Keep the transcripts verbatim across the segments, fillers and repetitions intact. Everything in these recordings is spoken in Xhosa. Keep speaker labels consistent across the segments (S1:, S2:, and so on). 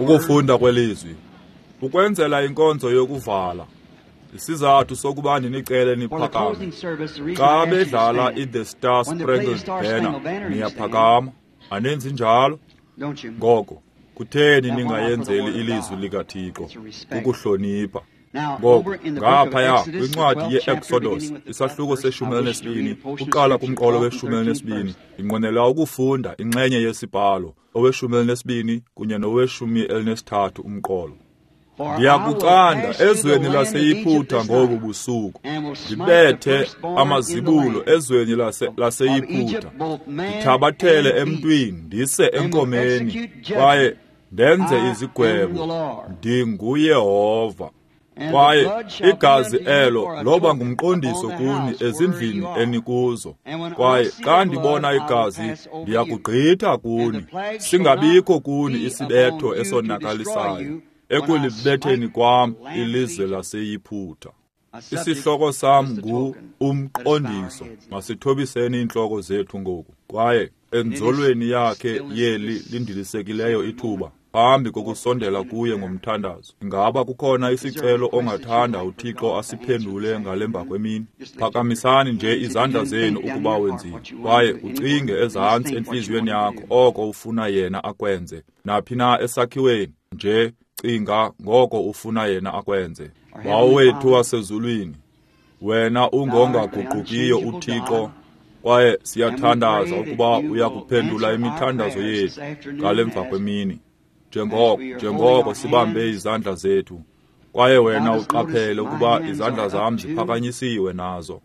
S1: Ukufunda kwelizwi ukwenzela inkonzo yokuvala. Isizathu sokuba ndinicele niphakame. Xa bedlala i-The Star Spangled Banner, niyaphakama. Anenzi njalo? Ngoko, kutheni ningayenzeli ilizwi likaThixo? Kukuhlonipha. Ngoko, ngaphaya kwincwadi ye-Exodus, isahluko seshumi elinesibini, uqala kumqolo weshumi elinesibini, ndinqwenela ukufunda inxenye yesibhalo, oweshumi elinesibini kunye noweshumi elinesithathu umqolo. Ndiyakucanda ezweni laseYiphutha ngobu busuku, ndibethe amazibulo ezweni laseYiphutha, ndithabathele emntwini ndise enkomeni, kwaye ndenze izigwebo. NdinguYehova. Kwaye igazi elo loba ngumqondiso kuni ezindlini enikuzo. Kwaye xa ndibona igazi, ndiyakugqitha kuni, singabikho kuni isibetho esonakalisayo ekulibetheni kwam ilizwe laseYiphutha. Isihloko sam ngu umqondiso. Masithobiseni iintloko zethu ngoku. Kwaye enzolweni yakhe yeli lindilisekileyo ithuba, phambi kokusondela kuye ngomthandazo, ingaba kukhona isicelo ongathanda uThixo asiphendule ngale mva kwemini? Phakamisani nje izandla zenu ukuba wenzile, kwaye ucinge ezantsi entliziyweni yakho oko ufuna yena akwenze. Naphi na esakhiweni, nje cinga ngoko ufuna yena akwenze. Bawo wethu wasezulwini, wena ungongaguqukiyo uThixo, kwaye siyathandaza ukuba uyakuphendula imithandazo yethu ngale mva kwemini. Njengoko njengoko sibambe izandla zethu, kwaye wena uqaphele ukuba izandla zam ziphakanyisiwe nazo.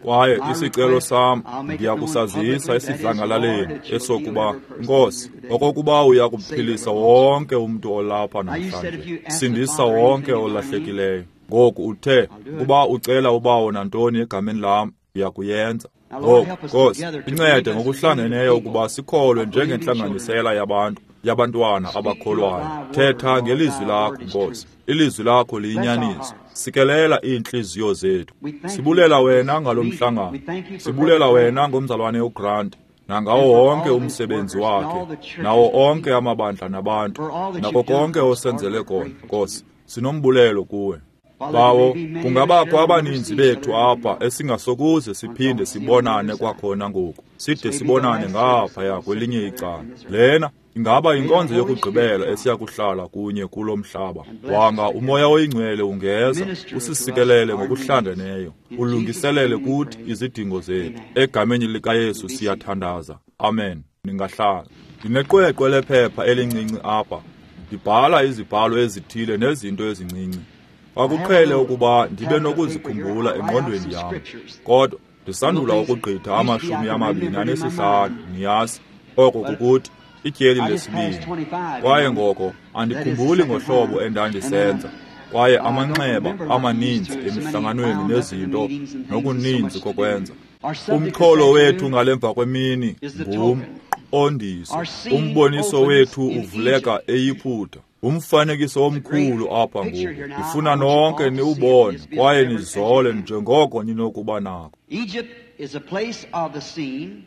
S1: Kwaye isicelo sam ndiyakusazisa esidlangalaleni esokuba, Nkosi, okokuba uyakuphilisa wonke umntu olapha namhlanje, sindisa wonke olahlekileyo. Ngoku uthe ukuba ucela ubawo nantoni egameni lam, uyakuyenza. Ngoku, Nkosi, incede ngokuhlangeneyo ukuba sikholwe njengentlanganisela yabantu yabantwana abakholwayo. Thetha ngelizwi lakho, Nkosi. Ilizwi lakho liyinyaniso. Sikelela iintliziyo zethu. Sibulela wena ngalo mhlangano. Sibulela wena ngomzalwane uGrant, nangawo wonke umsebenzi wakhe, nawo onke amabandla nabantu, nako konke osenzele kona, Nkosi. Sinombulelo kuwe. Bawo, kungabakho abaninzi bethu apha esingasokuze siphinde sibonane kwakhona ngoku, side sibonane ngaphaya kwelinye icala. Lena ingaba inkonzo yokugqibela esiyakuhlala kunye kulo mhlaba. Wanga uMoya oyiNgcwele ungeza usisikelele ngokuhlangeneyo, ulungiselele kuthi izidingo zethu. Egameni likaYesu siyathandaza. Amen. Ningahlala. Ndineqweqwe lephepha elincinci apha. Ndibhala izibhalo ezithile nezinto ezincinci. Kwakuqhele ukuba ndibe nokuzikhumbula engqondweni yam, kodwa ndisandula ukugqitha amashumi amabini anesihlanu, niyazi, oko kukuthi ityeli lesibini. Kwaye ngoko andikhumbuli ngohlobo endandisenza, kwaye amanxeba amaninzi emihlanganweni nezinto nokuninzi kokwenza. Umxholo wethu ngale mva kwemini ngumqondiso. Umboniso wethu uvuleka eYiphutha. Umfanekiso omkhulu apha ngoku. Ndifuna nonke niwubone kwaye nizole njengoko ninokuba nako.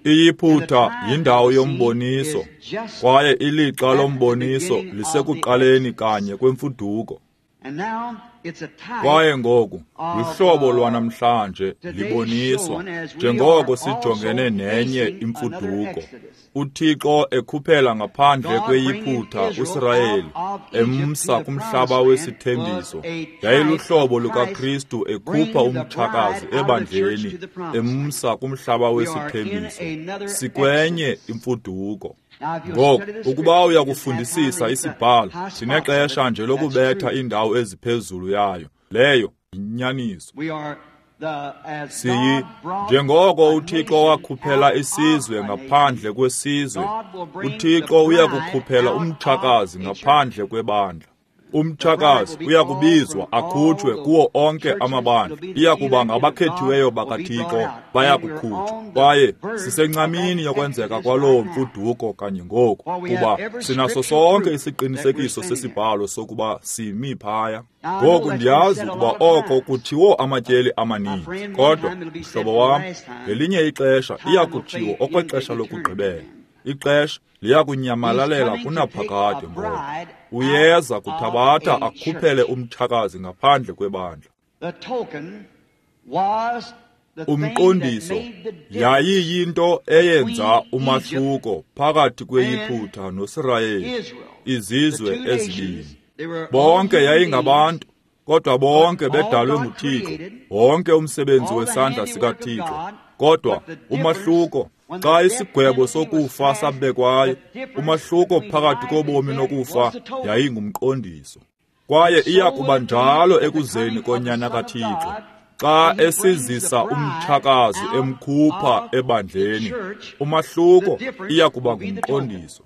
S1: IYiphutha yindawo yomboniso, kwaye ilixa lomboniso lisekuqaleni kanye kwemfuduko. Kwaye ngoku luhlobo lwanamhlanje liboniswa njengoko sijongene nenye imfuduko. uThixo ekhuphela ngaphandle kweYiphutha uSirayeli emsa kumhlaba wesithembiso. Yayiluhlobo lukaKristu ekhupha umtshakazi ebandleni emsa kumhlaba wesithembiso. Sikwenye imfuduko. Ngoku, ukuba uyakufundisisa isibhalo, sinexesha nje lokubetha indawo eziphezulu yayo. Leyo yinyaniso. Siyi, njengoko uThixo wakhuphela isizwe ngaphandle kwesizwe, uThixo uyakukhuphela umtshakazi ngaphandle kwebandla. Umtshakazi uyakubizwa akhutshwe kuwo onke amabandla. Iyakuba ngabakhethiweyo bakaThixo bayakukhutshwa. Kwaye sisencamini yokwenzeka kwaloo mfuduko kanye ngoku, kuba sinaso sonke isiqinisekiso sesibhalo sokuba simi phaya. Ngoku ndiyazi ukuba oko kuthiwo amatyeli amaninzi, kodwa mhlobo wam, ngelinye ixesha iyakutshiwo okwexesha lokugqibela. Ixesha liyakunyamalalela kunaphakade ngoku. Uyeza kuthabatha akhuphele umtshakazi ngaphandle kwebandla. Umqondiso yayiyinto eyenza umahluko phakathi kweYiphutha noSirayeli, izizwe ezibini. Bonke yayingabantu, kodwa bonke bedalwe nguThixo, wonke umsebenzi wesandla sikaThixo. Kodwa umahluko, xa isigwebo sokufa sabekwayo, umahluko phakathi kobomi nokufa yayingumqondiso. Kwaye iya kuba njalo ekuzeni koNyana kaThixo, xa esizisa umtshakazi emkhupha ebandleni, umahluko iya kuba ngumqondiso.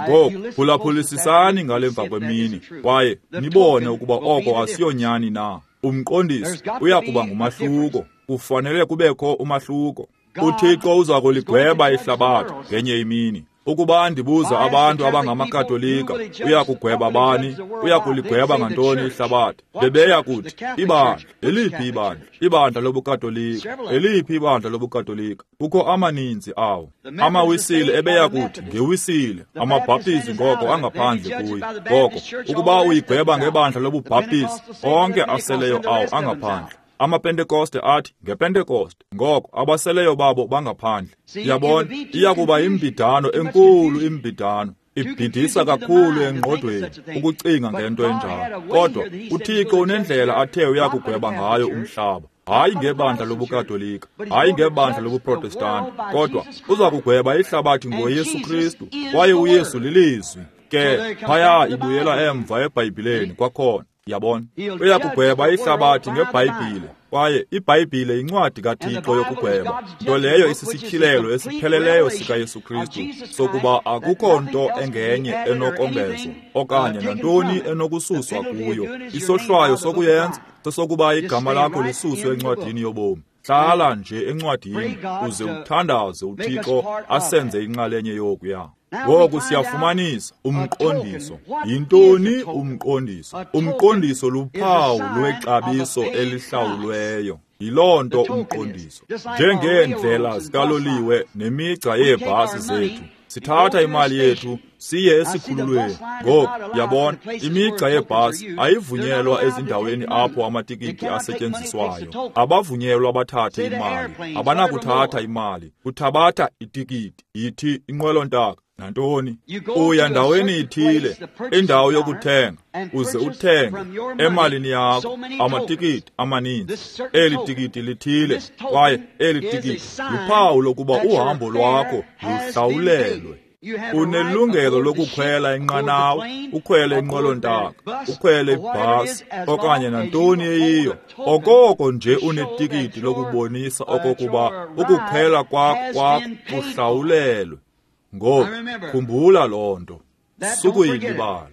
S1: Ngoku phulaphulisisani ngale mva kwemini, kwaye nibone ukuba oko asiyonyani na. Umqondiso uya kuba ngumahluko. Kufanele kubekho umahluko. UThixo uza kuligweba ihlabathi ngenye imini. Ukuba ndibuza abantu abangamakatolika, uya kugweba bani? Uya kuligweba ngantoni ihlabathi? Bebeya kuthi, ibandla, eliphi ibandla? Ibandla lobuKatolika, eliphi ibandla lobuKatolika? Kukho amaninzi awo. Amawisile ebeya kuthi, ngewisile. Amabhaptizi ngoko angaphandle kuyo. Ngoko, ukuba uyigweba ngebandla lobubhaptizi, onke aseleyo awo angaphandle. AmaPentekoste athi ngePentekoste, ngoko abaseleyo babo bangaphandle. Yabona, iya kuba imbidano enkulu, imbidano ibhidisa kakhulu engqondweni ukucinga ngento enjalo. Kodwa uThixo unendlela athe uyakugweba ngayo umhlaba, hayi ngebandla lobuKatolika, hayi ngebandla lobuProtestanti, kodwa uza kugweba ihlabathi ngoYesu Kristu, kwaye uYesu lilizwi. Ke phaya ibuyela emva eBhayibhileni kwakhona. Yabona, uyakugweba ihlabathi ngeBhayibhile, kwaye iBhayibhile yincwadi kaThixo yokugweba, nto leyo isisityhilelo esipheleleyo sikaYesu Kristu sokuba akukho nto engenye enokongezwa okanye nantoni enokususwa kuyo. Isohlwayo sokuyenza sesokuba igama lakho lisuswe encwadini yobomi. Hlala nje encwadini uze uthandaze uThixo asenze inxalenye yokuya. Ngoku siyafumanisa umqondiso. Yintoni umqondiso? Umqondiso luphawu lwexabiso elihlawulweyo. Yiloo nto umqondiso. Njengeendlela zikaloliwe nemigca yeebhasi zethu, sithatha imali yethu siye esikhululweni. Ngoku yabona, imigca yebhasi ayivunyelwa ezindaweni apho amatikiti asetyenziswayo. Abavunyelwa bathathe imali, abanakuthatha imali. Uthabatha itikiti, yithi inqwelontaka nantoni. Uya ndaweni ithile, indawo yokuthenga, uze uthenge emalini yakho amatikiti amaninzi. Eli tikiti lithile, kwaye eli tikiti luphawu lokuba uhambo lwakho luhlawulelwe. Unelungelo lokukhwela inqanawa, ukhwele inqwelontaka, ukhwele ibhasi okanye nantoni eyiyo, okoko nje unetikiti lokubonisa okokuba ukukhwela kwakho kwakho kuhlawulelwe. Ngoku khumbula loo nto, sukuyilibala.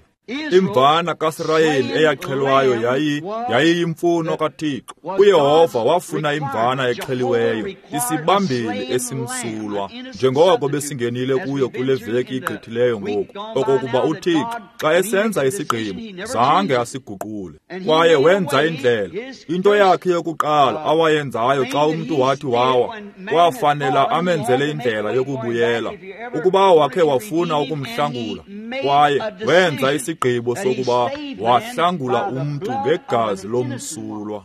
S1: Imvana kaSirayeli eyaxhelwayo yayi yayiyimfuno kaThixo. UYehova wafuna imvana exheliweyo, isibambeli esimsulwa, njengoko besingenile kuyo kule veki igqithileyo ngoku, okokuba uThixo xa esenza isigqibo zange asiguqule. Kwaye wenza indlela. Into yakhe yokuqala awayenzayo xa umntu wathi wawa, kwafanela amenzele indlela yokubuyela. Ukuba wakhe wafuna ukumhlangula, kwaye wenza isigqibo sokuba wahlangula umntu ngegazi lomsulwa.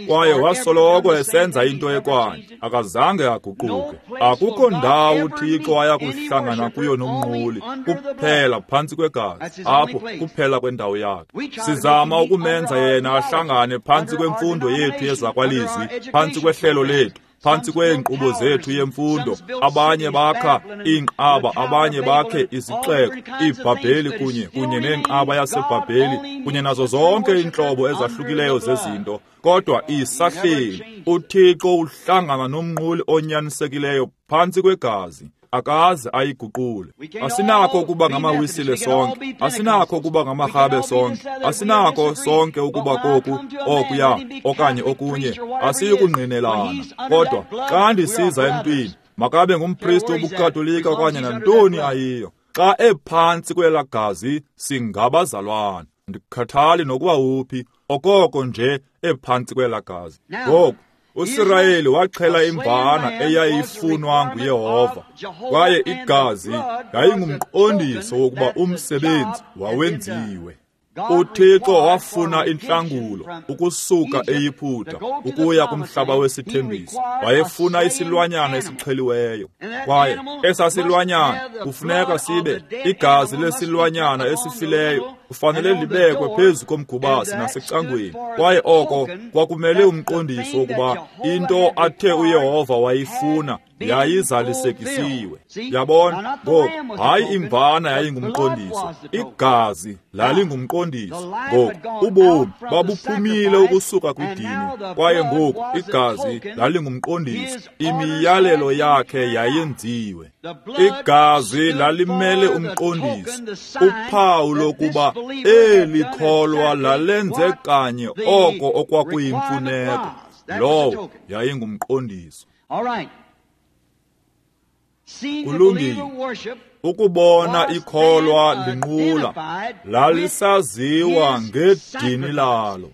S1: Kwaye wasoloko esenza into ekwanye, akazange aguquke. Akukho ndawo uThixo ayakuhlangana kuyo nomnquli, kuphela phantsi kwegazi, apho kuphela kwendawo yakhe. Sizama ukumenza yena ahlangane phantsi kwemfundo yethu yezakwalizwi, phantsi kwehlelo lethu, phantsi kweenkqubo zethu yemfundo. Abanye bakha iinqaba, abanye bakhe izixeko, iBhabheli kunye kunye neenqaba yaseBhabheli kunye nazo zonke iintlobo ezahlukileyo zezinto. Kodwa isahleli, uThixo uhlangana nomnquli onyanisekileyo phantsi kwegazi, akaze ayiguqule. Asinakho ukuba ngamawisile sonke, asinakho ukuba ngamarhabe sonke, asinakho sonke ukuba koku okuya okanye okunye, asiyi kungqinelana. Kodwa xa ndisiza emntwini, makabe ngumpristi wobuKatolika okanye nantoni ayiyo, xa ephantsi kwelaa gazi singabazalwana. Ndikhathali nokuba uphi, okoko nje ephantsi kwelaa gazi. Ngoku uSirayeli waxhela imvana eyayifunwa nguYehova, kwaye igazi yayingumqondiso wokuba umsebenzi wawenziwe. UThixo wafuna intlangulo ukusuka eYiputa ukuya kumhlaba wesithembiso. Wayefuna isilwanyana esixheliweyo, kwaye esasilwanyana kufuneka sibe igazi lesilwanyana esifileyo kufanele libekwe phezu komgubasi nasecangweni, kwaye oko kwakumele umqondiso wokuba into athe uYehova wayifuna yayizalisekisiwe. Yabona, ngoku hayi imvana yayingumqondiso, igazi lalingumqondiso. Ngoku ubomi babuphumile ukusuka kwidini, kwaye ngoku igazi lalingumqondiso. Imiyalelo yakhe yayenziwe. Igazi lalimele umqondiso, uphawu lokuba eli kholwa lalenze kanye oko okwakuyimfuneko. Lowo yayingumqondiso. Kulungile. Ukubona ikholwa linqula lalisaziwa ngedini lalo.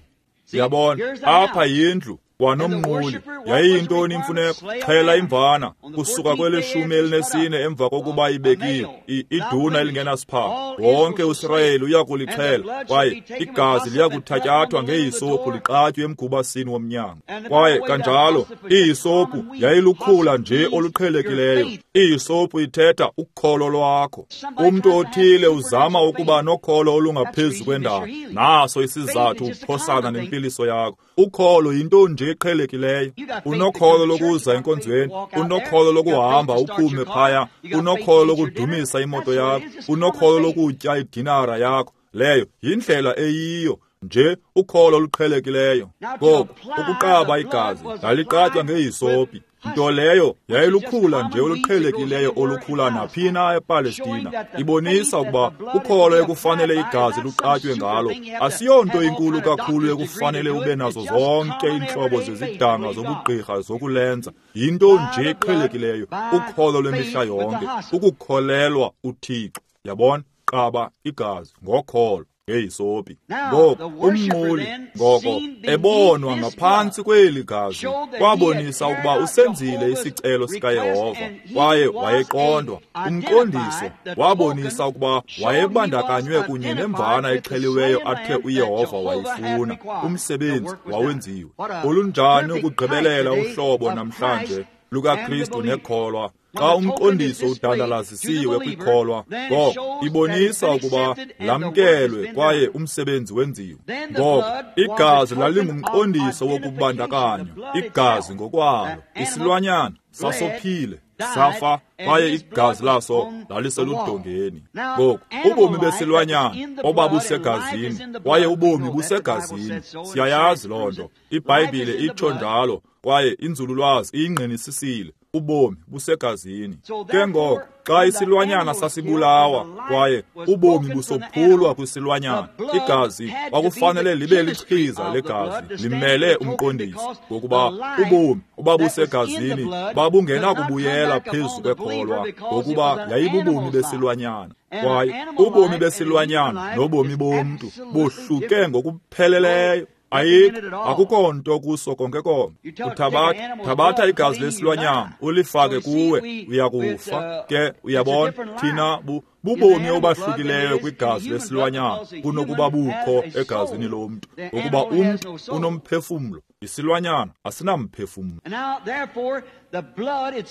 S1: Yabona, apha yindlu kwanomnquli. Yayiyintoni imfuneko? Xhela imvana kusuka kweleshumi elinesine emva kokuba ibekiwe iduna elingenasiphawu. Wonke uSirayeli uya kulixhela, kwaye igazi liya kuthatyathwa ngehisophu liqatywe emgubasini womnyango. Kwaye kanjalo ihisophu yayilukhula nje oluqhelekileyo. Ihisophu ithetha ukholo lwakho. Umntu othile uzama ukuba nokholo olungaphezu kwendalo, naso isizathu uphosana nempiliso yakho. Ukholo yinto nje eqhelekileyo. Unokholo lokuza enkonzweni, unokholo lokuhamba uphume phaya, unokholo lokudumisa imoto yakho, unokholo lokutya idinara yakho. Leyo yindlela eyiyo nje, ukholo oluqhelekileyo. Ngoku ukuqaba igazi laliqatywa ngehisopi, nto leyo yayilukhula nje oluqhelekileyo olukhula naphina ePalestina, ibonisa ukuba ukholo ekufanele igazi luqatywe ngalo asiyonto inkulu kakhulu ekufanele ube nazo zonke iintlobo zezidanga zobugqirha zokulenza. Yinto nje eqhelekileyo, ukholo lwemihla yonke, ukukholelwa uThixo. Yabona, qaba igazi ngokholo ngehisopi. Ngoku umnquli ngoko ebonwa ngaphantsi kweli gazi kwabonisa ukuba usenzile isicelo sikaYehova, kwaye wayeqondwa. Umqondiso wabonisa ukuba wayebandakanywe kunye nemvana exheliweyo athe uYehova wayifuna. Umsebenzi wawenziwe. Olunjani ukugqibelela uhlobo namhlanje lukaKristu nekholwa! Xa umqondiso udandalazisiwe kwikholwa, ngoko ibonisa ukuba lamkelwe kwaye umsebenzi wenziwe. Ngoko igazi lalingumqondiso wokubandakanywa, igazi ngokwalo. Isilwanyana sasophile, safa, kwaye igazi laso laliseludongeni. Ngoku ubomi besilwanyana obabusegazini, kwaye ubomi busegazini. Siyayazi loo nto, iBhayibhile itsho njalo, kwaye inzululwazi iyingqinisisile. Ubomi busegazini. Ke ngoko xa isilwanyana sasibulawa kwaye ubomi busophulwa kwisilwanyana, igazi kwakufanele libe lichiza legazi limele umqondiso, ngokuba ubomi obabusegazini babungenakubuyela phezu kwekholwa, ngokuba yayibubomi besilwanyana. Kwaye ubomi besilwanyana nobomi bomntu bohluke ngokupheleleyo. Ayikho, akukho nto kuso konke konke. Uthabatha thabatha igazi lesilwanyana ulifake kuwe, uyakufa. Ke uyabona, thina bu bubomi obahlukileyo kwigazi lesilwanyana kunokuba bukho egazini lomntu, ngokuba umntu unomphefumlo, isilwanyana asinamphefumlo.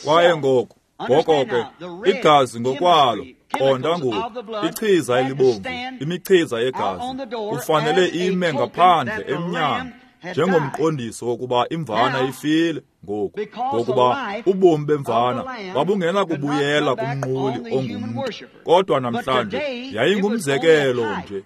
S1: Kwaye ngoku ngoko ke igazi ngokwalo, qonda ngoku, ichiza elibomvu, imichiza yegazi kufanele ime ngaphandle emnyango njengomqondiso wokuba imvana ifile. Ngoku ngokuba ubomi bemvana babungenakubuyela kumnquli ongumntu, kodwa namhlanje yayingumzekelo nje.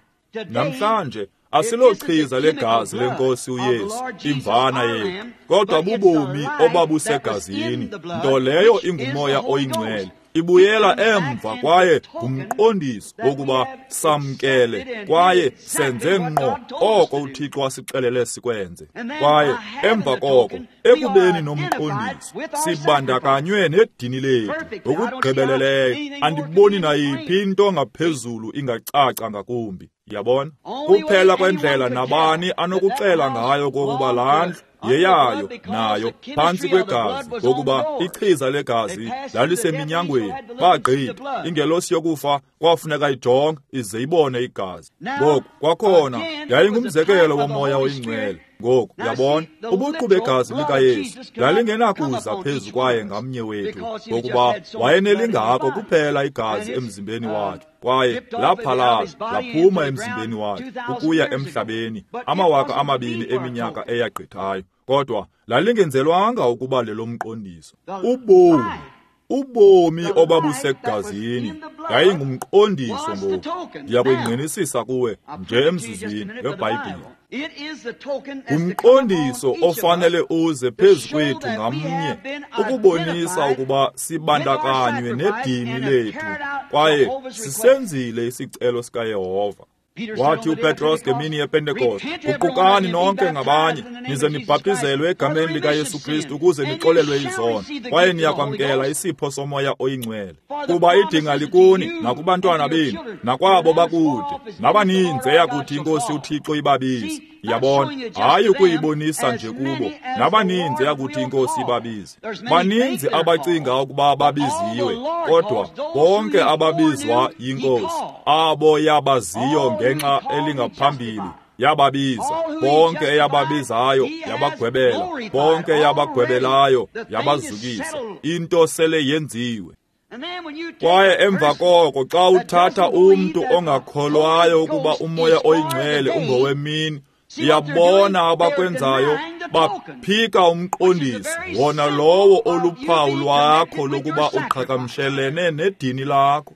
S1: Namhlanje asilochiza legazi lenkosi uYesu, imvana yethu, kodwa bubomi obabusegazini, nto leyo ingumoya oyingcwele. Ibuyela emva kwaye ngumqondiso wokuba samkele kwaye senze ngqo oko uThixo wasixelele sikwenze. Kwaye emva koko, ekubeni nomqondiso, sibandakanywe nedini lethu ngokugqibeleleyo. Andiboni nayiphi into ngaphezulu ingacaca ngakumbi. Yabona, kuphela kwendlela nabani anokuxela ngayo kokuba laa ndlu Yeyayo nayo phantsi kwegazi, ngokuba ichiza legazi laliseminyangweni. Bagqitha ingelosi yokufa kwafuneka ijonge ize ibone igazi. Ngoku kwakhona yayingumzekelo womoya oyingcwele. Ngoku yabona ubuqu begazi likaYesu lalingenakuza phezu kwaye ngamnye wethu, ngokuba wayenelingako kuphela igazi emzimbeni wakhe, kwaye laphalala laphuma emzimbeni wakhe ukuya emhlabeni amawaka amabini eminyaka eyagqithayo. Kodwa lalingenzelwanga ukuba lelomqondiso. Ubomi ubomi obabusegazini yayingumqondiso. Ngoku ndiyakuyingqinisisa kuwe nje emzuzwini ngeBhayibhile. Ngumqondiso ofanele uze phezu kwethu ngamnye ukubonisa ukuba sibandakanywe nedini lethu kwaye sisenzile isicelo sikaYehova. Wathi uPetros ngemini yePentekoste, guqukani nonke ngabanye nize nibhaptizelwe egameni likaYesu Kristu ukuze nixolelwe izono, kwaye niyakwamkela isipho somoya oyingcwele. Kuba idinga likuni nakubantwana benu nakwabo bakude nabaninzi eyakuthi iNkosi uThixo ibabize. Yabona, hayi ukuyibonisa nje kubo, nabaninzi eyakuthi iNkosi ibabize. Baninzi abacinga ukuba babiziwe, kodwa bonke ababizwa yiNkosi, abo yabaziyo ngenxa elingaphambili yababiza, bonke eyababizayo yabagwebela, bonke eyabagwebelayo yabazukisa. Into sele yenziwe. Kwaye emva koko xa uthatha umntu ongakholwayo ukuba umoya oyingcwele ungowemini, iyabona abakwenzayo, baphika umqondiso wona lowo oluphawu lwakho lokuba uqhagamshelene nedini lakho.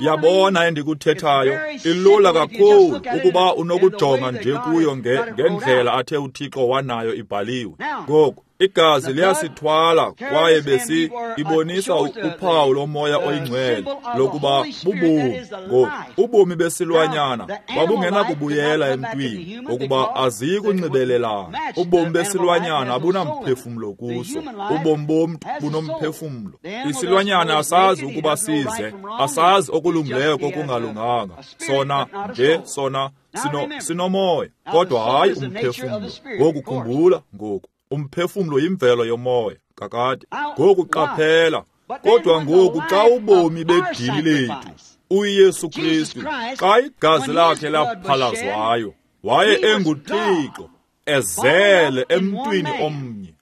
S1: Yabona endikuthethayo, ilula kakhulu ukuba unokujonga nje kuyo ngendlela athe uThixo wanayo ibhaliwe. Ngoku igazi liyasithwala kwaye besi ibonisa uphawu lomoya oyingcwele lokuba bubomi. Ngoku ubomi besilwanyana babungenakubuyela emntwini ngokuba aziyi kunxibelelana. Ubomi besilwanyana abunamphefumlo kuso, ubomi bomntu bunomphefumlo. Isilwanyana asazi ukuba size, asazi okulungileyo kokungalunganga. Sona nje sona sino sinomoya, kodwa hayi umphefumlo. Ngoku khumbula, ngoku umphefumlo yimvelo yomoya kakade. Ngoku qaphela, kodwa ngoku xa ubomi bedini lethu uYesu Kristu, xa igazi lakhe laphalazwayo, waye enguThixo ezele emntwini omnye.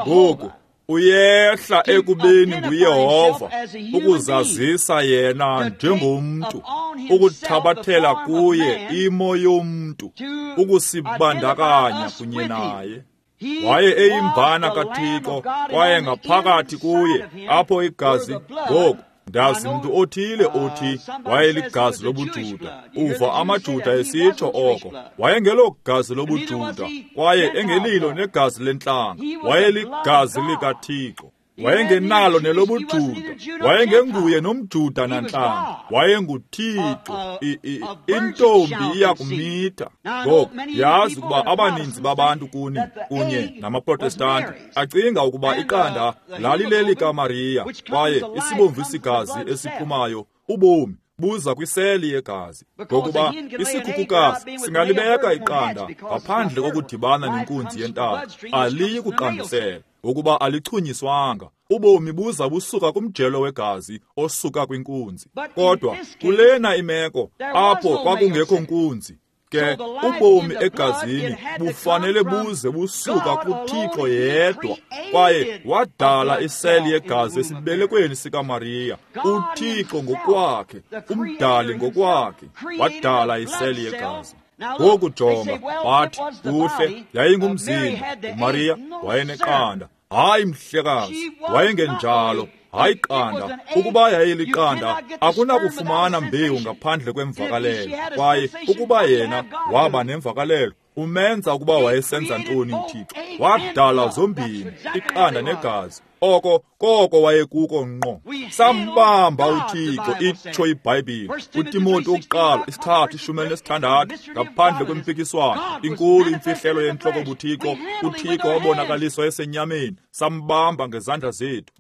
S1: Ngoku uyehla ekubeni nguYehova ukuzazisa yena njengomntu, ukuthabathela kuye imo yomntu, ukusibandakanya kunye naye. Waye eyimvana kaThixo, kwaye ngaphakathi kuye apho igazi. Ngoku ndazi mntu othile othi wayeligazi lobuJuda. Uva amaJuda esitsho oko. Wayengelo gazi lobuJuda, kwaye engelilo negazi lentlanga. Wayeligazi likaThixo. Wayengenalo nelobuJuda, wayengenguye nomJuda nantlanga, wayenguThixo. Intombi iyakumitha. Ngoku yazi ukuba abaninzi babantu kuni kunye namaProtestanti acinga ukuba iqanda lalilelikaMariya, kwaye isibomvu isigazi esiphumayo ubomi buza kwiseli yegazi, ngokuba isikhukukazi singalibeka iqanda ngaphandle kokudibana nenkunzi yentaka, aliyi kuqandusela ngokuba alichunyiswanga. Ubomi buza busuka kumjelo wegazi osuka kwinkunzi. Kodwa kulena imeko apho kwakungekho nkunzi, ke ubomi egazini bufanele buze busuka kuThixo yedwa, kwaye wadala iseli yegazi esibelekweni sikaMariya. UThixo ngokwakhe, umdali ngokwakhe, wadala iseli yegazi. Ngoku jonga, bathi kuhle, yayingumzimba, uMariya wayeneqanda. Hayi mhlekazi, wayengenjalo. Hayi qanda, ukuba yayiliqanda akunakufumana mbewu ngaphandle kwemvakalelo. Kwaye ukuba yena waba nemvakalelo, umenza ukuba wayesenza ntoni uThixo? Wadala zombini, iqanda negazi. Oko koko wayekuko ngqo. Sambamba uThixo, itsho iBhayibhile. UTimoti wokuqala isithathu ishumi elinesithandathu, ngaphandle kwempikiswano inkulu imfihlelo yentloko buThixo. uThixo wabonakaliswa esenyameni, sambamba ngezandla zethu.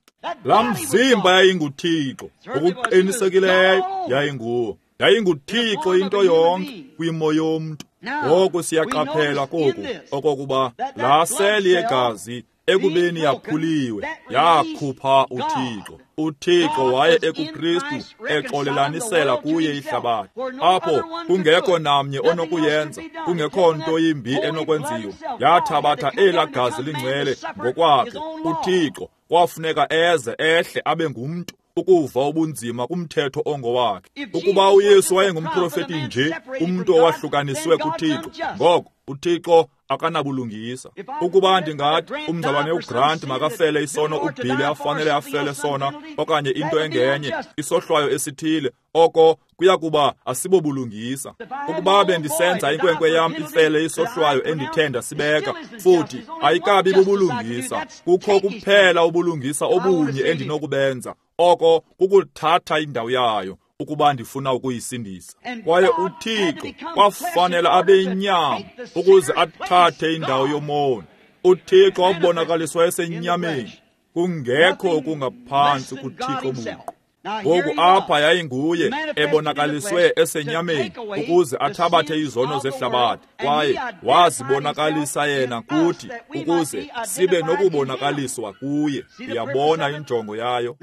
S1: Laa mzimba yayinguThixo, ngokuqinisekileyo yayinguwo. YayinguThixo into yonke kwimo yomntu. Ngoku siyaqaphela koku okokuba laa seli yegazi ekubeni yaphuliwe yakhupha uThixo. UThixo waye ekuKristu exolelanisela kuye ihlabathi, apho kungekho namnye onokuyenza, kungekho nto yimbi enokwenziwa. Yathabatha elaa gazi lingcwele ngokwakhe. UThixo kwafuneka eze ehle abe ngumntu ukuva ubunzima kumthetho ongowakhe. Ukuba uYesu wayengumprofeti nje, umntu owahlukaniswe kuThixo, ngoko uThixo akanabulungisa. Ukuba ndingathi umzalwane uGrant makafele isono uBilly afanele afele sona, okanye into engenye, isohlwayo esithile, oko kuya kuba asibobulungisa. Ukuba bendisenza inkwenkwe yam ifele isohlwayo endithe ndasibeka, futhi ayikabi bubulungisa. Kukho kuphela ubulungisa obunye endinokubenza, oko kukuthatha indawo yayo ukuba ndifuna ukuyisindisa. Kwaye uThixo kwafanele abe inyama ukuze athathe indawo yomoni. UThixo wabonakaliswa esenyameni, kungekho okungaphantsi kuThixo buqu. Ngoku apha yayinguye ebonakaliswe esenyameni ukuze athabathe izono zehlabathi, kwaye wazibonakalisa yena kuthi ukuze sibe nokubonakaliswa kuye. Uyabona injongo yayo?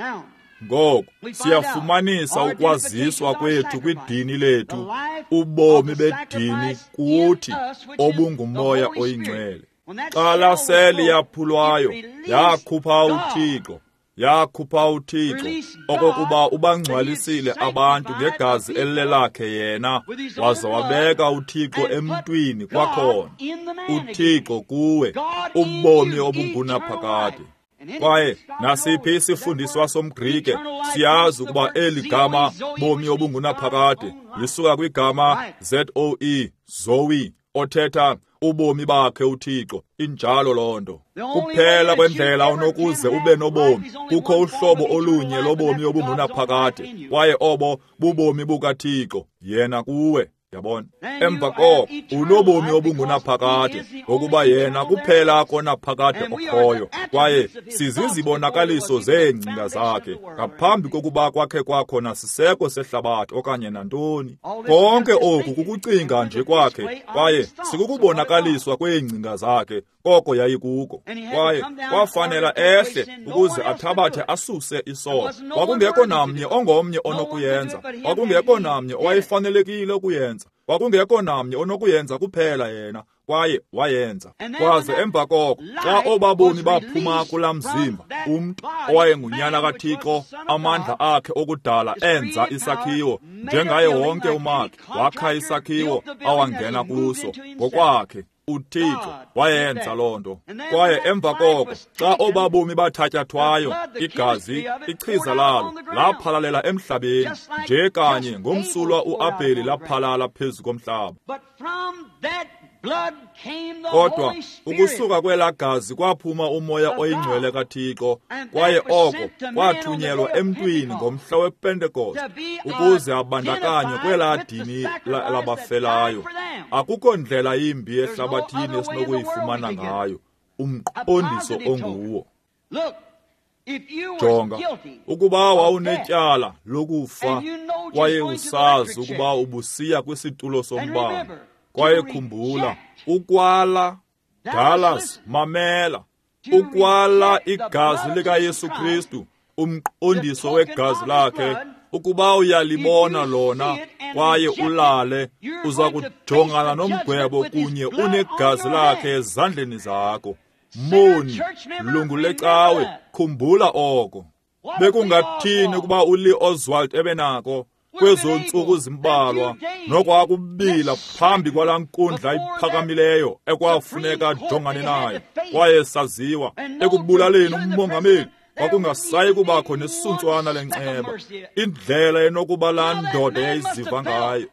S1: Ngoku siyafumanisa ukwaziswa kwethu kwidini lethu, ubomi bedini kuthi obunguMoya oyiNgcwele. Xa laa seli yaphulwayo yakhupha uThixo, yakhupha uThixo okokuba ubangcwalisile abantu ngegazi elilelakhe yena, waza wabeka uThixo emntwini kwakhona. uThixo kuwe, ubomi obungunaphakade. Kwaye nasiphi isifundiswa somGrike siyazi ukuba eli gama bomi obungunaphakade lisuka kwigama Z O E, Zoe, othetha ubomi bakhe uThixo. Injalo loo nto. Kuphela kwendlela onokuze ube nobomi, kukho uhlobo olunye lobomi obungunaphakade, kwaye obo bubomi bukaThixo yena kuwe. Yabona? Emva koko unobomi obungunaphakade, ngokuba yena kuphela konaphakade okhoyo, kwaye sizizibonakaliso zeengcinga zakhe ngaphambi kokuba kwakhe kwakho nasiseko sehlabathi okanye nantoni. Konke oku kukucinga nje kwakhe, kwaye sikukubonakaliswa kweengcinga zakhe koko yayikuko. Kwaye kwafanela ehle ukuze athabathe asuse isono. Kwakungekho namnye ongomnye onokuyenza, kwakungekho namnye owayefanelekile ukuyenza, kwakungekho namnye onokuyenza kuphela yena, kwaye wayenza. Kwaze emva koko xa obabomi baphuma kulaa mzimba, umntu owayengunyana kaThixo, amandla akhe okudala enza isakhiwo njengaye wonke umakhi, wakha isakhiwo awangena kuso ngokwakhe. uThixo wayenza loo nto. Kwaye emva koko xa obabomi bathatyathwayo, igazi, ichiza lalo laphalalela emhlabeni, nje kanye ngomsulwa uAbheli laphalala phezu komhlaba. Kodwa ukusuka kwelaa gazi kwaphuma uMoya oyiNgcwele kaThixo, kwaye oko kwathunyelwa emntwini ngomhla wePentekoste ukuze abandakanywe kwelaa dini labafelayo. Akukho ndlela yimbi ehlabathini esinokuyifumana ngayo umqondiso onguwo. Jonga, ukuba wawunetyala lokufa kwaye usazi ukuba ubusiya kwisitulo sombane, kwaye khumbula, ukwala, Dallas, mamela, ukwala igazi likaYesu Kristu, umqondiso wegazi lakhe, ukuba uyalibona lona kwaye ulale, uza kujongana nomgwebo kunye unegazi lakhe ezandleni zakho. Moni, lungu lecawe, khumbula oko. Bekungathini ukuba uLee Oswald ebenako kwezo ntsuku zimbalwa nokwakubila phambi kwalaa nkundla iphakamileyo ekwafuneka ajongane nayo, kwaye saziwa ekubulaleni umongameli, kwakungasayi kubakho nesuntswana lenceba. Indlela enokuba laa ndoda yayiziva ngayo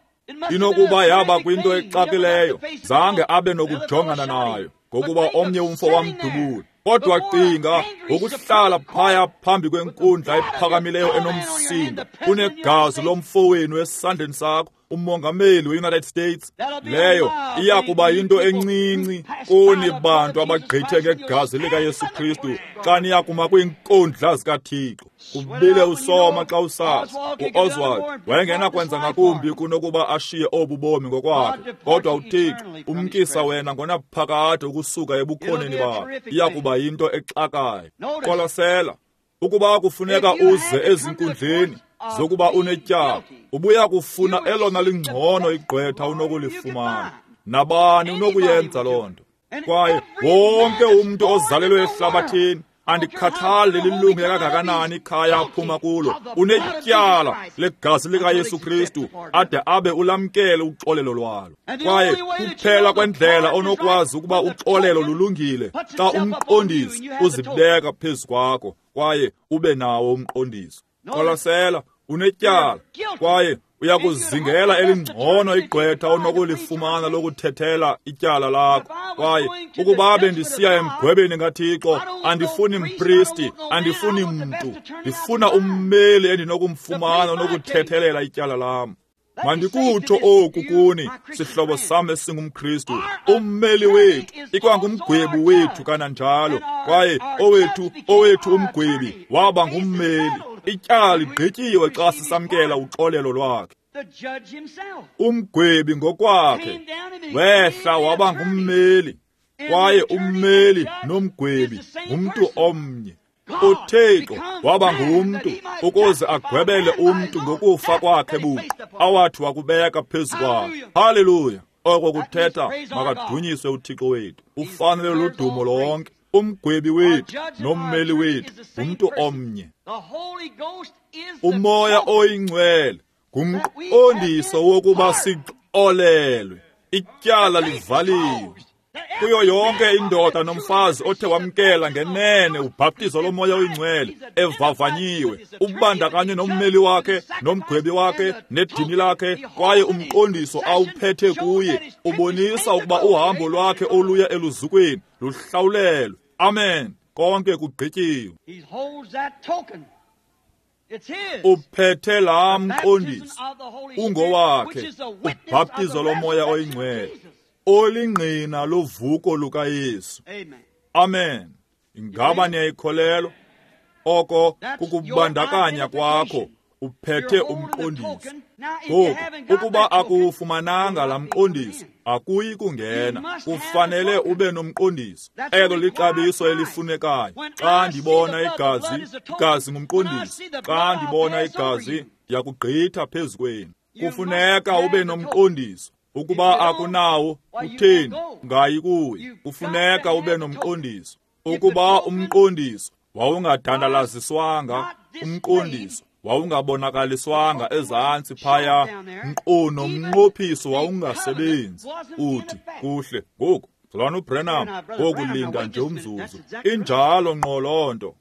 S1: inokuba yaba kwinto exakileyo, zange abe nokujongana nayo ngokuba omnye umfo wamdubula. Kodwa cinga ngokuhlala phaya phambi kwenkundla ephakamileyo enomsindo, unegazi lomfo wenu esandleni sakho, umongameli we-United States. Leyo iya kuba yinto encinci kuni bantu abagqithe ngegazi likaYesu Kristu xa niya kuma kwiinkundla zikaThixo. Ubile usoma xa usazi. U-Oswald wayengenakwenza ngakumbi kunokuba ashiye obu bomi ngokwakhe, kodwa uThixo umkisa wena ngonaphakade ukusuka ebukhoneni bakhe. Iya kuba yinto exakayo. Qwalasela, ukuba kufuneka uze ezinkundleni zokuba unetyala, ubuya kufuna elona lingcono igqwetha unokulifumana. Nabani unokuyenza loo nto. Kwaye wonke umntu ozalelwe ehlabathini, andikhathali lilunge kangakanani ikhaya aphuma kulo, unetyala legazi likaYesu Kristu ade abe ulamkele uxolelo lwalo. Kwaye kuphela kwendlela onokwazi ukuba uxolelo lulungile xa umqondiso uzibeka phezu kwakho kwaye ube nawo umqondiso. Qwalasela, unetyala kwaye uyakuzingela elingcono igqwetha onokulifumana lokuthethela ityala lakho. Kwaye ukuba bendisiya emgwebeni kaThixo, andifuni mpristi, andifuni mntu, ndifuna ummeli endinokumfumana onokuthethelela ityala lam. Mandikutsho oku kuni, sihlobo sam esingumKristu, ummeli wethu ikwangumgwebi wethu kananjalo. Kwaye owethu owethu umgwebi waba ngummeli. Ityala ligqityiwe xa sisamkela uxolelo lwakhe. Umgwebi ngokwakhe wehla waba ngummeli, kwaye ummeli nomgwebi ngumntu omnye. UThixo waba ngumntu ukuze agwebele umntu ngokufa kwakhe buqu awathi wakubeka phezu kwakhe. Haleluya! Oko kuthetha makadunyiswe uThixo wethu. Ufanele ludumo lonke. Umgwebi wethu nommeli wethu ngumntu omnye. Umoya oyingcwele ngumqondiso wokuba sixolelwe, ityala livaliwe. Kuyo yonke indoda nomfazi othe wamkela ngenene ubhaptizo lomoya oyingcwele evavanyiwe, ubandakanywe nommeli wakhe nomgwebi wakhe nedini lakhe, kwaye umqondiso awuphethe kuye ubonisa ukuba uhambo lwakhe oluya eluzukweni luhlawulelwe. Amen. Konke kugqityiwe. Uphethe laa mqondiso ungowakhe, ubhaptizo lomoya oyingcwele olingqina lovuko lukaYesu. Amen. Ingaba niyayikholelwa? Oko kukubandakanya kwakho, uphethe umqondiso. Ngoku ukuba akuwufumananga laa mqondiso, akuyi kungena. Kufanele ube nomqondiso. Elo lixabiso elifunekayo. Xa ndibona igazi, igazi ngumqondiso. Xa ndibona igazi, ndiyakugqitha phezu kwenu. Kufuneka ube nomqondiso. Ukuba akunawo, utheni? Ungayi kuye. Kufuneka ube nomqondiso. Ukuba umqondiso wawungadandalaziswanga, umqondiso wawungabonakaliswanga ezantsi phaya, nkqu nomnqophiso wawungasebenzi. Uthi, kuhle, ngoku, Mzalwana uBranham, ngoku linda nje umzuzu. Injalo ngqo loo nto.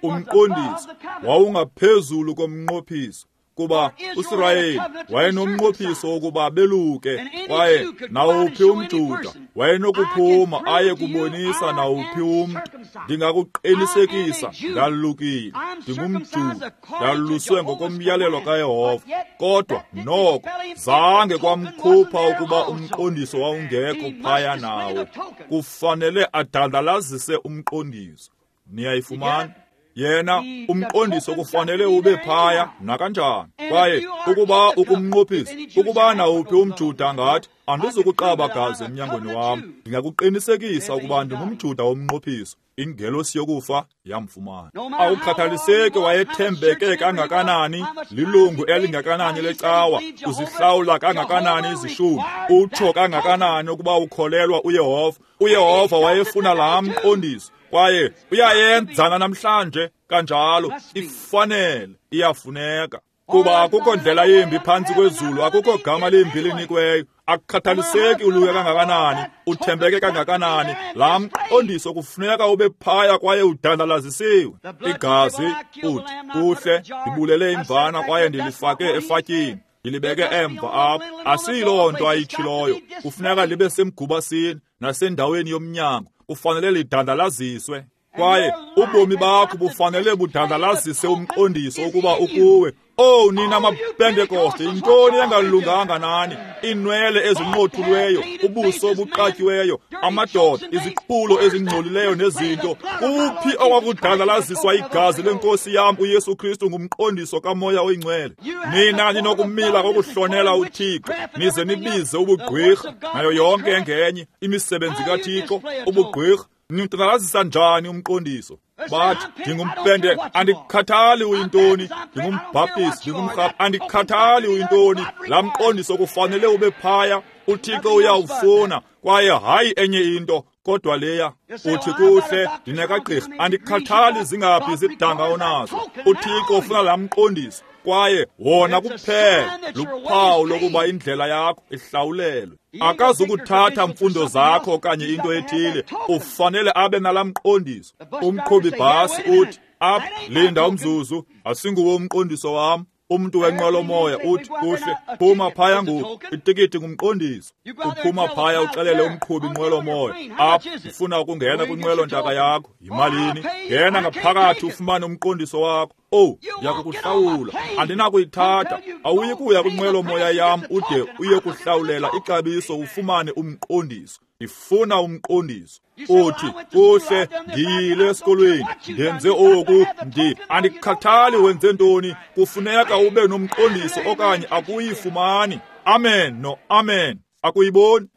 S1: Umqondiso wawungaphezulu komnqophiso, kuba uSirayeli wayenomnqophiso wokuba beluke, kwaye nawuphi umJuda wayenokuphuma aye kubonisa nawuphi umntu. Ndingakuqinisekisa, ndalukile, ndingumJuda, ndaluswe ngokomyalelo kaYehova. Kodwa noko zange kwamkhupha ukuba umqondiso wawungekho phaya nawo. Kufanele adandalazise umqondiso. Niyayifumana? Yena umqondiso kufanele ube phaya nakanjani. Kwaye ukuba ukumnqophisa, ukuba nawuphi umJuda ngathi andizukuqaba gazi emnyangweni wam, ndingakuqinisekisa ukuba ndingumJuda womnqophiso. Ingelosi yokufa yamfumana. Awukhathaliseki wayethembeke kangakanani, lilungu elingakanani lecawa, uzihlawula kangakanani izishumi, utsho kangakanani ukuba ukholelwa uYehova. uYehova wayefuna laa mqondiso, kwaye uyayenzana namhlanje kanjalo. Ifanele, iyafuneka. Kuba akukho ndlela yimbi phantsi kwezulu, akukho gama limbi linikweyo. Akukhathaliseki uluke kangakanani, uthembeke kangakanani, laa mqondiso kufuneka ube phaya kwaye udandalazisiwe. Igazi, uthi, kuhle, ndibulele imvana kwaye ndilifake efatyini, ndilibeke emva apho. Asiyiloo nto ayitshiloyo. Kufuneka libe semgubasini nasendaweni yomnyango. Kufanele lidandalaziswe. Kwaye ubomi bakho bufanele budandalazise umqondiso ukuba ukuwe, Owu nina maPentekoste, yintoni engalunganga nani? Iinwele ezinqothulweyo, ubuso obuqatyiweyo, amadoda, iziqhulo ezingcolileyo nezinto. Kuphi okwakudandalaziswa igazi lenkosi yam uYesu Kristu ngumqondiso kaMoya oyiNgcwele? Nina ninokumila kokuhlonela uThixo, nize nibize ubugqwirha nayo yonke engenye imisebenzi kaThixo, ubugqwirha. Nidandalazisa njani umqondiso? Bathi, ndingumpente, andikhathali uyintoni, ndingumbhaptisi, ndingumrhaphi, andikhathali uyintoni. Laa mqondiso kufanele ube phaya. UThixo uyawufuna, kwaye hayi enye into kodwa leya. Uthi, kuhle, ndinekagqirha, andikhathali zingaphi izidanga onazo. UThixo ufuna laa mqondiso, kwaye wona kuphela luphawu lokuba indlela yakho ihlawulelwe. Akazukuthatha mfundo zakho okanye into ethile, ufanele abe nalaa mqondiso. Umqhubi bhasi uthi, apha, linda umzuzu, asinguwo umqondiso wam. Umntu wenqwelomoya uthi, kuhle, phuma phaya ngoku, itikiti ngumqondiso. Uphuma phaya uxelele umqhubi inqwelomoya, apha, ufuna ukungena kwinqwelontaka yakho, yimalini? Ngena ngaphakathi ufumane umqondiso wakho. Owu, ndiyakukuhlawula, andinakuyithatha. Awuyi kuya kwinqwelomoya yam ude uye kuhlawulela ixabiso ufumane umqondiso. Ndifuna umqondiso. Uthi, kuhle, ndiyile esikolweni, ndenze oku, ndi andikhathali wenze ntoni. Kufuneka ube nomqondiso okanye akuyifumani. Amen no amen. Akuyiboni?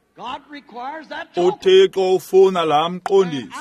S1: UThixo ufuna laa mqondiso.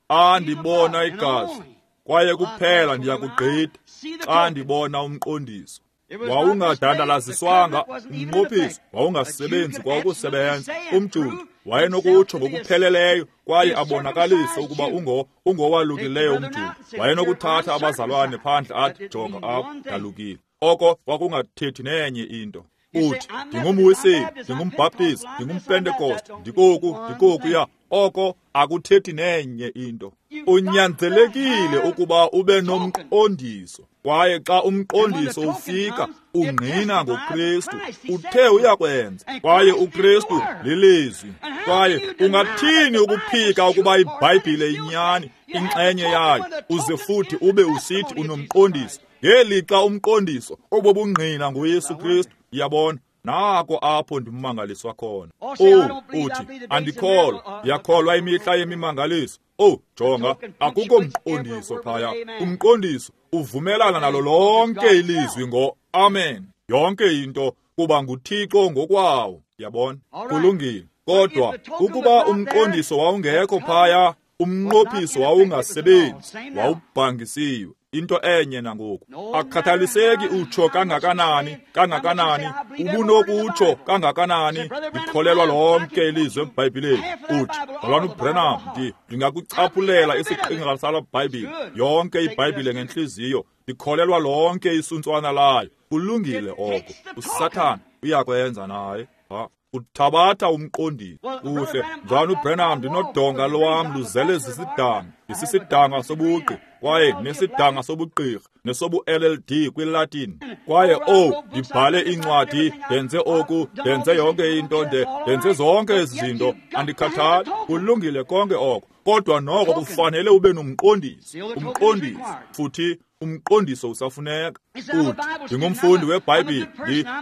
S1: Xa ndibona igazi, kwaye kuphela ndiyakugqitha xa ndibona umqondiso. Wawungadandalaziswanga umnqophiso, wawungasebenzi kwa ukusebenza. UmJuda wayenokutsho ngokupheleleyo kwaye abonakalise ukuba ungo ungowalukileyo umJuda. Wayenokuthatha abazalwane phandle athi, jonga apha, ndalukile. Oko kwakungathethi nenye into. Uthi, ndingumwiseli, ndingumbhaptizi, ndingumpentekoste, ndikoku, ndikokuya. Oko akuthethi nenye into. Unyanzelekile ukuba ube nomqondiso. Kwaye xa umqondiso ufika, ungqina ngoKristu. Uthe uyakwenza, kwaye uKristu lilizwi. Kwaye ungathini ukuphika ukuba iBhayibhile inyani, inxenye yayo, uze futhi ube usithi unomqondiso? Ngelixa umqondiso obobungqina ngoYesu Kristu. Yabona, nako apho ndimangaliswa khona. Oh, uthi, andikholwa, ndiyakholwa imihla yemimangaliso. Oh, jonga, akukho mqondiso phaya. Umqondiso uvumelana nalo lonke ilizwi ngo amen. Yonke into kuba nguThixo ngokwawo. Yabona, kulungile. Kodwa ukuba umqondiso wawungekho phaya, umnqophiso wawungasebenzi, wawubhangisiwe. Into enye nangoku. Akukhathaliseki utsho kangakanani, kangakanani, ubunokutsho kangakanani, ndikholelwa lonke ilizwi eBhayibhileni. Uthi, mzalwana uBranham, ndi ndingakuchaphulela isiqingatha sala Bhayibhile, yonke iBhayibhile ngentliziyo, ndikholelwa lonke isuntswana layo. Kulungile oko. USathana uyakwenza naye. Ha. Uthabatha umqondiso. Kuhle, mzalwana uBranham, ndinodonga lwam luzele zisidanga, ndisisidanga sobugqi, kwaye nesidanga sobugqirha, nesobu-L L D kwiLatin. Kwaye oh, ndibhale iincwadi, ndenze oku, ndenze yonke into, ndenze zonke ezi zinto, andikhathali. Kulungile konke oko. Kodwa noko kufanele ube nomqondiso, umqondiso, futhi umqondiso usafuneka. Uthi, ndingumfundi weBhayibhile,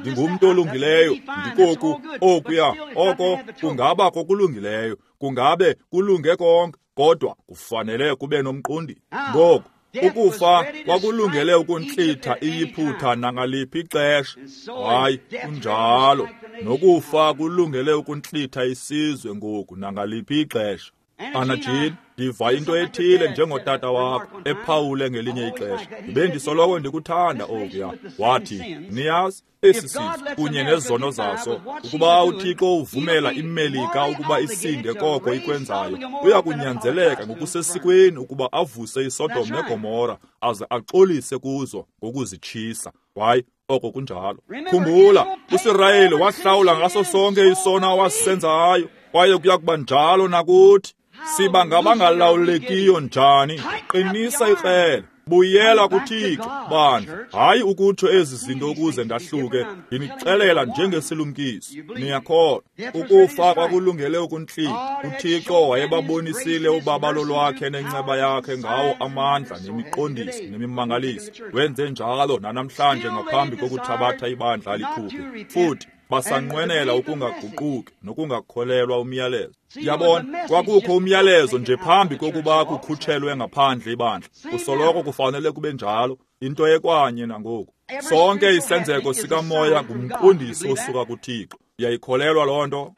S1: ndingumntu olungileyo, ndikoku, okuya, oko kungaba kokulungileyo, kungabe kulunge konke, kodwa kufanele kube nomqondiso. Ngoku, ukufa kwakulungele ukuntlitha iyiphutha nangaliphi ixesha. Hayi, kunjalo. Nokufa kulungele ukuntlitha isizwe ngoku nangaliphi ixesha. Ana Jean, ndiva into ethile njengotata wakho ephawule ngelinye ixesha. Bendisoloko ndikuthanda okuya. Wathi, niyazi, esi sizwe kunye nezono zaso, ukuba uThixo uvumela iMelika ukuba isinde koko ikwenzayo, uya kunyanzeleka ngokusesikweni ukuba avuse iSodom neGomora aze axolise kuzo ngokuzitshisa. Hayi, oko kunjalo. Khumbula, uSirayeli wahlawula ngaso sonke isono awasenzayo, kwaye kuya kuba njalo nakuthi. Siba ngabangalawulekiyo njani? Qinisa ikrele, Buyela kuThixo, bandla. Hayi ukutsho ezi zinto ukuze ndahluke, ndinixelela njengesilumkiso. Niyakholwa. Ukufa kwakulungele ukuntlika. UThixo wayebabonisile ubabalo lwakhe nenceba yakhe ngawo amandla nemiqondiso nemimangaliso. Wenze njalo nanamhlanje ngaphambi kokuthabatha ibandla likhuphe. Futhi basanqwenela ukungaguquki nokungakholelwa umyalezo. Yabona, kwakukho umyalezo nje phambi kokuba kukhutshelwe ngaphandle ibandla. Kusoloko kufanele kube njalo, into ekwanye nangoku. Sonke isenzeko sikamoya ngumqondiso osuka kuThixo. Uyayikholelwa loo nto?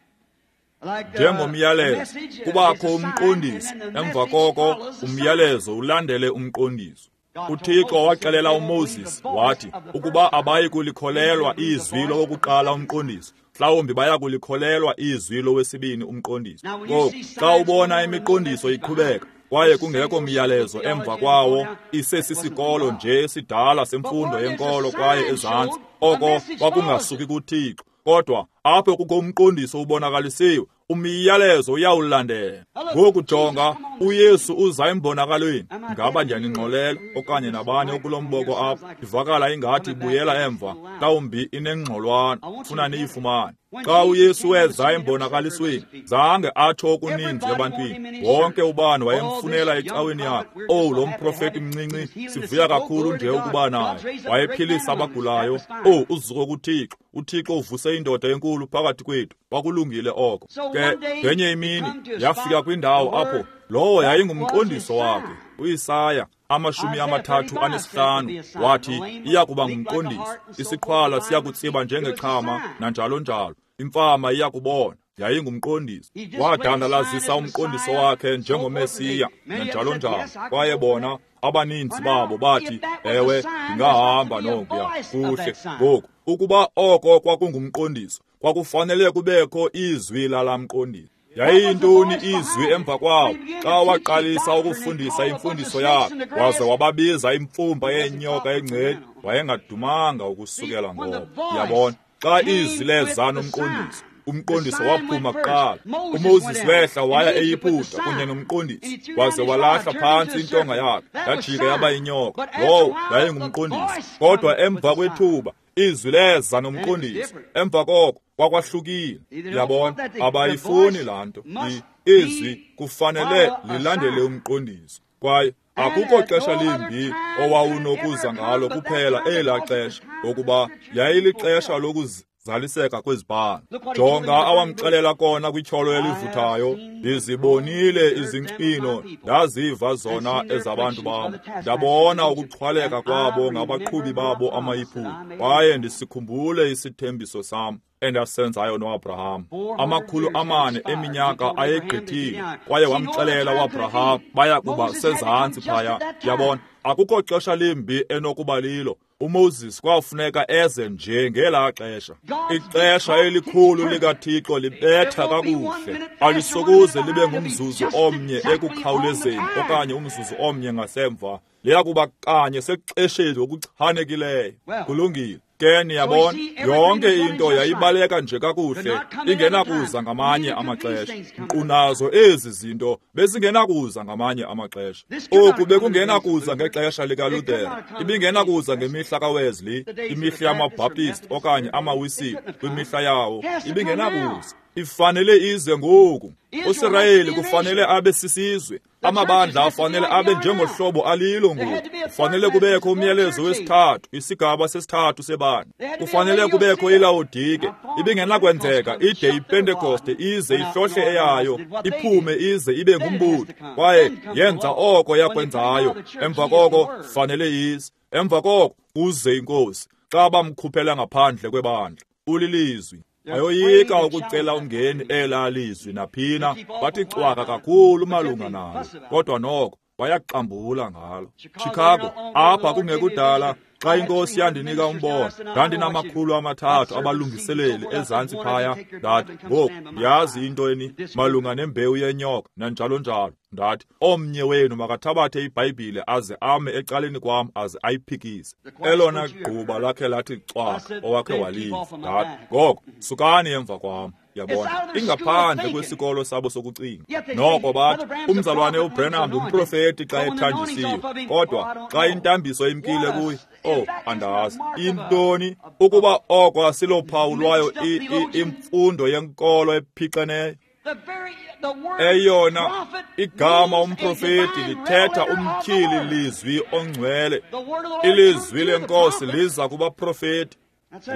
S1: Njengomyalezo, kubakho umqondiso, emva koko umyalezo ulandele umqondiso. UThixo waxelela uMoses wathi ukuba abayi kulikholelwa izwi lowokuqala umqondiso, mhlawumbi baya kulikholelwa izwi lowesibini umqondiso. Ngoku xa ubona imiqondiso iqhubeka kwaye kungekho myalezo emva kwawo, isesisikolo nje esidala semfundo yenkolo kwaye ezantsi, oko kwakungasuki kuThixo. Kodwa apho kukho umqondiso ubonakalisiwe, umyalezo uyawulandela. Ngoku jonga, uYesu uza embonakalweni. Ngaba ndiyaningxolela okanye nabani okulo mboko apha? Ivakala ingathi ibuyela emva, mhlawumbi inengxolwana, funa niyifumane. Xa uYesu weza embonakalisweni, zange atsho okuninzi ebantwini. Wonke ubani wayemfunela ecaweni yakhe. Owu, lo mprofeti mncinci, sivuya kakhulu nje ukuba naye. Wayephilisa abagulayo. Owu, uzuko kuThixo. uThixo uvuse indoda enkulu phakathi kwethu. Kwakulungile oko. Ke ngenye imini yafika kwindawo apho lowo yayingumqondiso wakhe. uIsaya amashumi amathathu anesihlanu wathi iya kuba ngumqondiso. Isiqhwala siya kutsiba njengexhama nanjalo njalo. Imfama iya kubona. Yayingumqondiso. Wadandalazisa umqondiso wakhe njengoMesiya nanjalo njalo. Kwaye bona abaninzi babo bathi, ewe, ndingahamba nokuya. Kuhle. Ngoku ukuba oko kwakungumqondiso, kwakufanele kubekho izwi lalamqondiso. Yayiyintoni izwi emva kwawo? Xa waqalisa ukufundisa imfundiso yakhe, waze wababiza imfumba yeenyoka engceni, wayengadumanga ukusukela ngoko. Yabona, xa izwi leza nomqondiso, umqondiso waphuma kuqala. uMoses wehla waya eYiputa kunye nomqondiso, waze walahla phantsi intonga yakhe, yajika yaba yinyoka. Lowo yayingumqondiso. Kodwa emva kwethuba izwi leza nomqondiso. Emva koko kwakwahlukile. Yabona, abayifuni laa nto. Izwi kufanele lilandele umqondiso. Kwaye akukho xesha limbi owawunokuza ngalo kuphela elaa xesha, ngokuba yayilixesha lokuzaliseka kwezibhalo. Jonga awamxelela kona kwityholo elivuthayo, ndizibonile izincwino, ndaziva zona ezabantu bam, ndabona ukuxhwaleka kwabo ngabaqhubi babo amaYiputa, kwaye ndisikhumbule isithembiso sam endasenzayo noAbraham. Amakhulu amane eminyaka ayegqithile, kwaye wamxelela uAbraham baya kuba sezantsi phaya. Yabona, akukho xesha limbi enokuba lilo. uMoses kwafuneka eze nje ngelaa xesha. Ixesha elikhulu likaThixo libetha kakuhle. Alisokuze libe ngumzuzu omnye ekukhawulezeni okanye umzuzu omnye ngasemva. Liya kuba kanye sexesheni ngokuchanekileyo. Kulungile. Ke niyabona, yonke into yayibaleka nje kakuhle, ingenakuza ngamanye amaxesha. Nkqu nazo ezi zinto bezingenakuza ngamanye amaxesha. Oku bekungenakuza ngexesha likaLuther, ibingenakuza ngemihla kaWesley, imihla yamaBaptist okanye amaWisile kwimihla yawo, ibingenakuza. Ifanele ize ngoku. uSirayeli kufanele abe sisizwe. Amabandla afanele abe njengohlobo alilo ngoku. Kufanele kubekho umyalezo wesithathu, isigaba sesithathu sebandla. Kufanele kubekho iLawodike. Ibingenakwenzeka ide iPentekoste ize ihlohle eyayo, iphume ize ibe ngumbutho. Kwaye yenza oko yakwenzayo. Emva koko fanele ize. Emva koko uze iNkosi. Xa bamkhuphela ngaphandle kwebandla, ulilizwi. Bayoyika ukucela umngeni elaa lizwi naphina, bathi cwaka kakhulu malunga nalo, kodwa noko bayaxambula ngalo. Chicago, apha kungekudala, xa iNkosi yandinika umbono, ndandinamakhulu amathathu abalungiseleli ezantsi phaya. Ndathi, ngoku ndiyazi into eni malunga nembewu yenyoka nanjalo njalo. Ndathi, omnye wenu makathabathe iBhayibhile aze ame ecaleni kwam aze ayiphikise. Elona gquba lakhe lathi cwaka owakhe waliva. Ndathi, ngoko sukani emva kwam. Yabona, ingaphandle kwesikolo sabo sokucinga. Noko bathi umzalwane uBranham ngumprofeti xa ethanjisiwe, kodwa xa intambiso imkile kuye, oh, andazi intoni. Ukuba oko asilophawu lwayo imfundo yenkolo ephixeneyo. Eyona igama umprofeti lithetha umtyhili lizwi ongcwele. Ilizwi lenkosi liza kubaprofeti.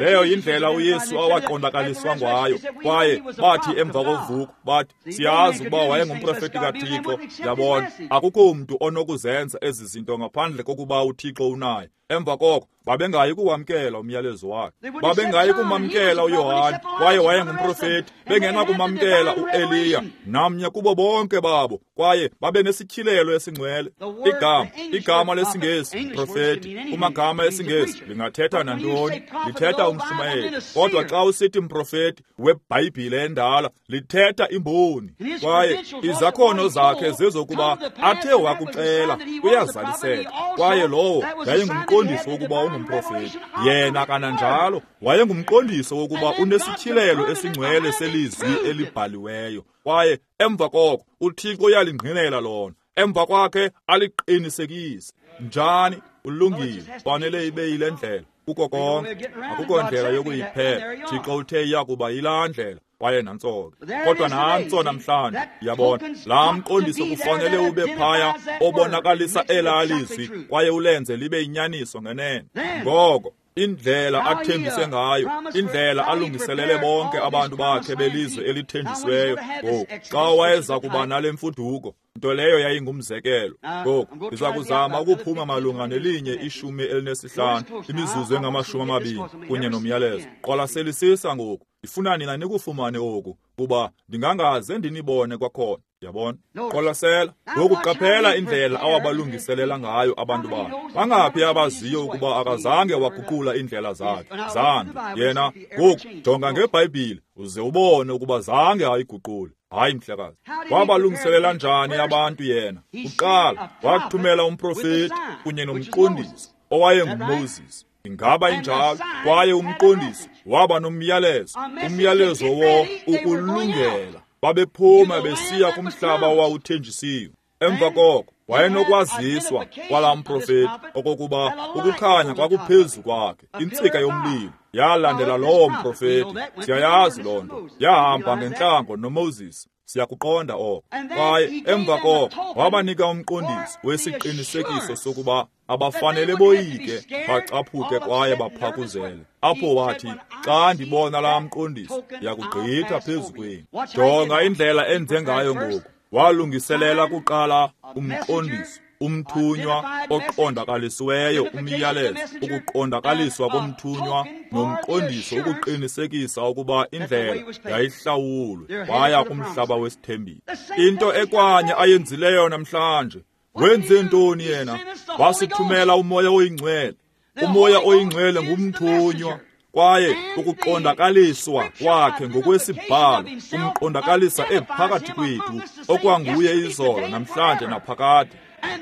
S1: Leyo yindlela uYesu awaqondakaliswa ngayo. Kwaye bathi emva kovuko bathi siyazi ukuba wayengumprofeti kaThixo. Yabona, akukho mntu onokuzenza ezi zinto ngaphandle kokuba uThixo unaye. Emva koko babengayi kuwamkela umyalezo wakhe, babengayi kumamkela uYohane, kwaye wayengumprofeti. Bengenakumamkela uEliya namnye kubo bonke babo, kwaye babe nesityhilelo esingcwele. Igama igama lesiNgesi profeti, kumagama esiNgesi lingathetha nantoni, lithetha umshumayeli. Kodwa xa usithi mprofeti weBhayibhile endala, lithetha imboni. Kwaye izakhono zakhe zezokuba athe wakuxela uyazaliseka, kwaye lowo yayingumqondiso wokuba ungumprofeti. Yena kananjalo wayengumqondiso wokuba unesityhilelo esingcwele selizwi elibhaliweyo. Kwaye emva koko uThixo uyalingqinela lona, emva kwakhe aliqinisekise. Njani? Ulungile, fanele ibe yile ndlela kuko konke, akukho ndlela yokuyiphela. Thixo uthe iya kuba yilaa ndlela, kwaye nantso ke. Kodwa nantso namhlanje, yabona, laa mqondiso kufanele ube phaya obonakalisa elaa lizwi kwaye ulenze libe yinyaniso ngenene. Ngoko indlela athembise ngayo, indlela alungiselele bonke abantu bakhe belizwe elithenjisiweyo. Ngoku xa wayeza kuba nale mfuduko, nto leyo yayingumzekelo. Ngoku ndiza kuzama ukuphuma malunga nelinye ishumi elinesihlanu, imizuzu engamashumi amabini kunye nomyalezo. Qwalaselisisa ngoku, ndifuna nina nikufumane oku, kuba ndingangaze ndinibone kwakhona. Yabona, qwalasela ngoku, qaphela indlela awabalungiselela ngayo abantu bakhe. Bangaphi abaziyo ukuba akazange waguqula iindlela zakhe? Zange. Yena ngoku jonga ngeBhayibhile uze ubone ukuba zange ayiguqule. Hayi mhlekazi. Wabalungiselela njani abantu yena? Kuqala wathumela umprofeti kunye nomqondisi owayenguMoses. Ingaba injalo? Kwaye umqondisi waba nomyalezo, umyalezo wo ukulungela. Babephuma besiya kumhlaba owawuthenjisiwe. Emva koko wayenokwaziswa kwalaa mprofeti okokuba ukukhanya kwakuphezu kwakhe, intsika yomlilo yalandela lowo mprofeti. Siyayazi loo nto, yahamba ngentlango noMoses. Siyakuqonda oko. Kwaye emva koko wabanika umqondiso wesiqinisekiso sokuba abafanele boyike, bacaphuke kwaye baphakuzele. Apho wathi, xa ndibona laa mqondiso, ndiyakugqitha phezu kwenu. Jonga indlela enze ngayo ngoku. Walungiselela kuqala umqondiso, umthunywa oqondakalisiweyo, umyalezo, ukuqondakaliswa komthunywa nomqondiso ukuqinisekisa ukuba indlela yayihlawulwe, waya kumhlaba wesithembiso. Into ekwanye ayenzileyo namhlanje. Wenze ntoni yena? Wasithumela uMoya oyiNgcwele. UMoya oyiNgcwele ngumthunywa, kwaye ukuqondakaliswa kwakhe ngokwesibhalo umqondakalisa ephakathi kwethu, okwanguye izolo, namhlanje naphakade.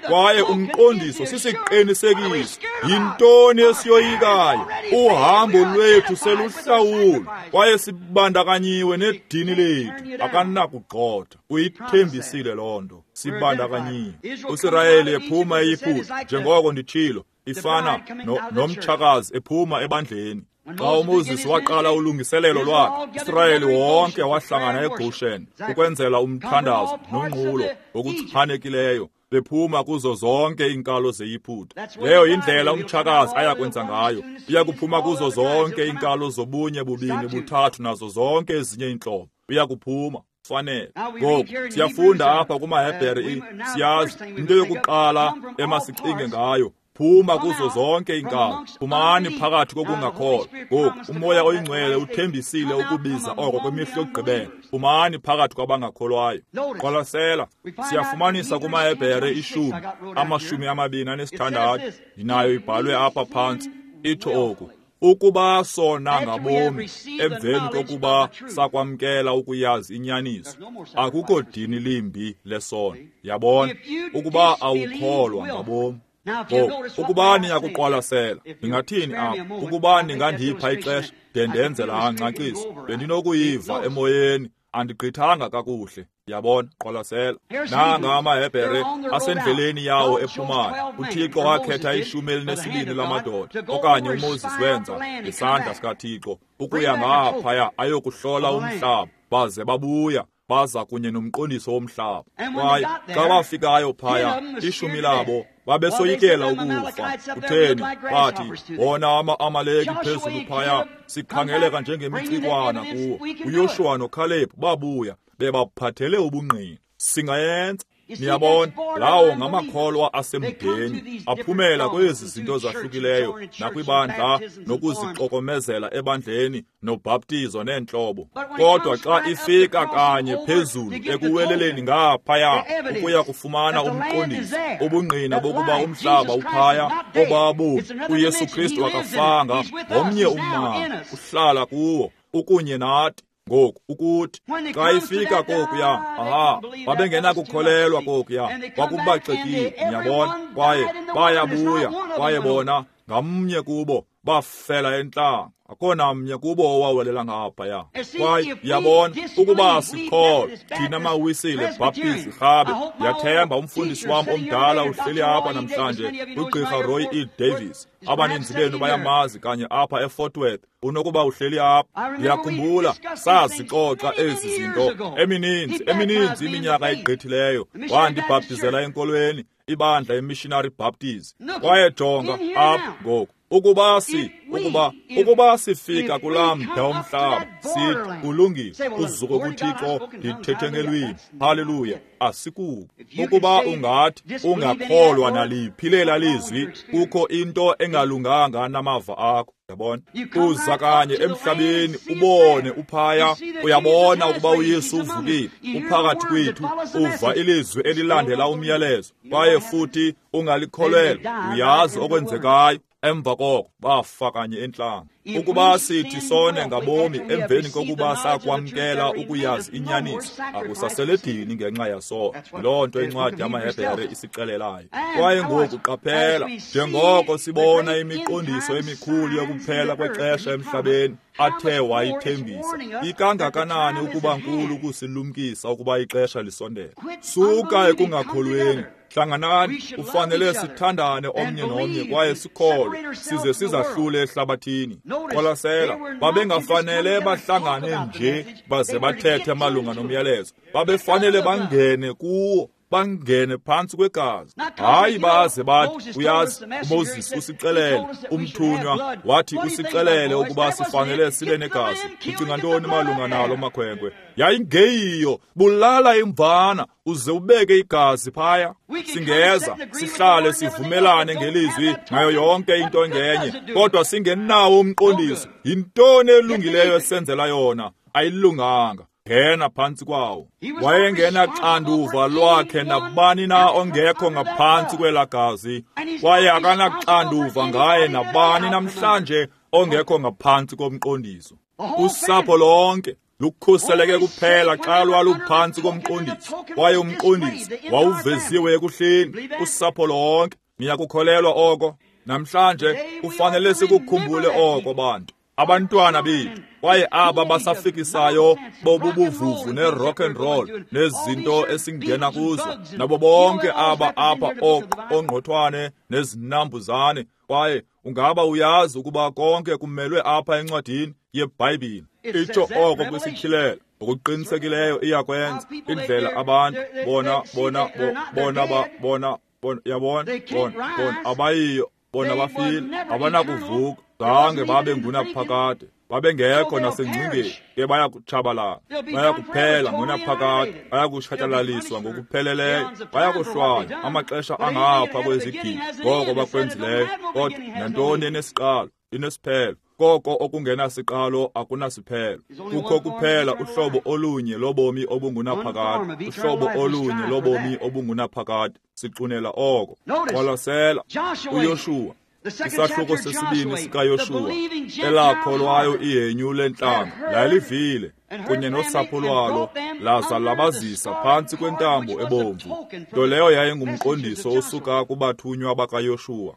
S1: Kwaye umqondiso sisiqinisekiso. Yintoni esiyoyikayo? Uhambo lwethu seluhlawulwe, kwaye sibandakanyiwe nedini lethu. Akanakugxotha, uyithembisile loo nto. Sibandakanyiwe. USirayeli ephuma eYiputa, njengoko nditshilo, ifana nomtshakazi ephuma ebandleni. Xa uMoses waqala ulungiselelo lwakhe, uSirayeli wonke wahlangana eGoshen ukwenzela umthandazo nonqulo ngokuchanekileyo, bephuma kuzo zonke iinkalo zeYiputa. Leyo yindlela umtshakazi ayakwenza ngayo. Uyakuphuma kuzo zonke iinkalo zobunye, bubini, buthathu nazo zonke ezinye iintlobo. Uyakuphuma fanele. Ngoku siyafunda apha kumaHebhere, siyazi into yokuqala emasicinge ngayo. Phuma kuzo zonke iinkalo, phumani phakathi kokungakholwa. Ngoku uMoya oyiNgcwele uthembisile ukubiza oko kwimihla yokugqibela. Phumani phakathi kwabangakholwayo. Qwalasela, siyafumanisa kumaHebhere ishumi amashumi amabini anesithandathu, ndinayo ibhalwe apha phantsi, itsho oku: ukuba sona ngabomi emveni kokuba sakwamkela ukuyazi inyaniso, akukho dini limbi lesono. Yabona, ukuba awukholwa ngabomi. Ngoku ukuba niyakuqwalasela, ndingathini apha? Ukuba ningandipha ixesha de ndenze laa ngcaciso, bendinokuyiva emoyeni. Andigqithanga kakuhle. Yabona, qwalasela. Nanga amaHebhere asendleleni yawo ephumayo. UThixo wakhetha ishumi elinesibini lamadoda, okanye uMoses wenza ngesandla sikaThixo, ukuya ngaphaya ayokuhlola umhlaba, baze babuya baza kunye nomqondiso womhlaba. Kwaye xa bafikayo phaya, ishumi labo babesoyikela ukufa. Kutheni? Bathi, wona ama-Amaleki phezulu phaya, sikhangeleka njengemicikwana kuwo. uYoshuwa noKhalebhu babuya bebaphathele ubungqina. Singayenza. Niyabona, lawo ngamakholwa asemdeni aphumela kwezi zinto zahlukileyo nakwibandla nokuzixokomezela ebandleni nobhaptizo neentlobo. Kodwa xa ifika kanye phezulu ekuweleleni ngaphaya ukuya kufumana umqondiso, ubungqina bokuba umhlaba uphaya obabu uYesu Kristu akafanga, ngomnye ummandla uhlala kuwo ukunye nathi. Ngoku ukuthi xa ifika kokuya, aha, babengenakukholelwa kokuya, kwakubaxekile, niyabona. Kwaye bayabuya, kwaye bona ngamnye kubo bafela entlango, akho namnye kubo owawelela ngaphaya. Kwaye yabona, ukuba sikholwa thina maWisile, Baptist, Rhabe, ndiyathemba umfundisi wam omdala uhleli apha namhlanje, uGqirha Roy E. Davis. Abaninzi benu bayamazi kanye apha eFort Worth. Unokuba uhleli apha. Ndiyakhumbula sazixoxa ezi zinto emininzi, emininzi iminyaka egqithileyo. Wandibhaptizela enkolweni, ibandla iMissionary Baptist. Kwaye jonga apha ngoku. Ukuba si, ukuba, ukuba sifika kulaa mda womhlaba, sithi kulungile, uzuko kuThixo, ndithethe ngelwimi. Haleluya, asikuko. Ukuba ungathi ungakholwa naliphi lela lizwi, kukho into engalunganga namava akho. Yabona, uza kanye emhlabeni ubone uphaya, uyabona ukuba uYesu uvukile, uphakathi kwethu, uva ilizwi elilandela umyalezo, kwaye futhi ungalikholelwa, uyazi okwenzekayo. Emva koko bafa kanye entlango. Ukuba sithi sone ngabomi emveni kokuba sakwamkela ukuyazi inyaniso, akusaseledini ngenxa yaso. Loo nto incwadi yamaHebhere isixelelayo. Kwaye ngoku qaphela, njengoko sibona imiqondiso emikhulu yokuphela kwexesha emhlabeni athe wayithembisa, ikangakanani ukuba nkulu ukusilumkisa ukuba ixesha lisondele. Suka ekungakholweni. Hlanganani, ufanele sithandane omnye nomnye kwaye sikholwe, size sizahlule ehlabathini. Qwalasela, babengafanele bahlangane nje baze bathethe malunga nomyalezo. Babefanele bangene kuwo, bangene phantsi kwegazi. Hayi baze bathi, uyazi, uMoses usixelele, umthunywa wathi usixelele ukuba sifanele sibe negazi. Ucinga ntoni malunga nalo makhwenkwe? Yayingeyiyo, bulala imvana uze ubeke igazi phaya. Singeza sihlale sivumelane ngelizwi ngayo yonke into engenye, kodwa singenawo umqondiso. Yintoni elungileyo esenzela yona? Ayilunganga. Ngena phantsi kwawo. Wayengenaxanduva lwakhe nabani na ongekho ngaphantsi kwela gazi, kwaye akanaxanduva ngaye nabani namhlanje ongekho ngaphantsi komqondiso. Usapho lonke lukhuseleke kuphela xa lwaluphantsi komqondiso, kwaye umqondiso wawuveziwe ekuhleni. Usapho lonke. Niyakukholelwa oko? Namhlanje kufanele sikukhumbule oko, bantu, abantwana bethu, kwaye aba basafikisayo bobubuvuvu ne-rock and roll nezinto esingena kuzo, nabo bonke aba apha ongqothwane nezinambuzane. Kwaye ungaba uyazi ukuba konke kumelwe apha encwadini yeBhayibhile. Itsho oko kwisityhilelo. Ngokuqinisekileyo iyakwenza indlela abantu bona bona bona bona bona yabona bona bona abayiyo bona bafile, abanakuvuka, zange babe ngunaphakade, babengekho nasengcingeni, ke bayakutshabalala, bayakuphela ngonaphakade, bayakutshatyalaliswa ngokupheleleyo, bayakuhlwaywa amaxesha angapha kwezigidi ngoko bakwenzileyo. Kodwa nantoni enesiqalo inesiphelo, koko okungenasiqalo akunasiphelo. Kukho kuphela uhlobo olunye lobomi obungunaphakade, uhlobo olunye lobomi obungunaphakade. Sixunela oko. Qwalasela uYoshuwa, isahluko sesibini sikaYoshuwa, elakholwayo ihenyu lentlanga lalivile kunye nosapho lwalo, laza labazisa phantsi kwentambo ebomvu, nto leyo yayingumqondiso osuka kubathunywa bakaYoshuwa.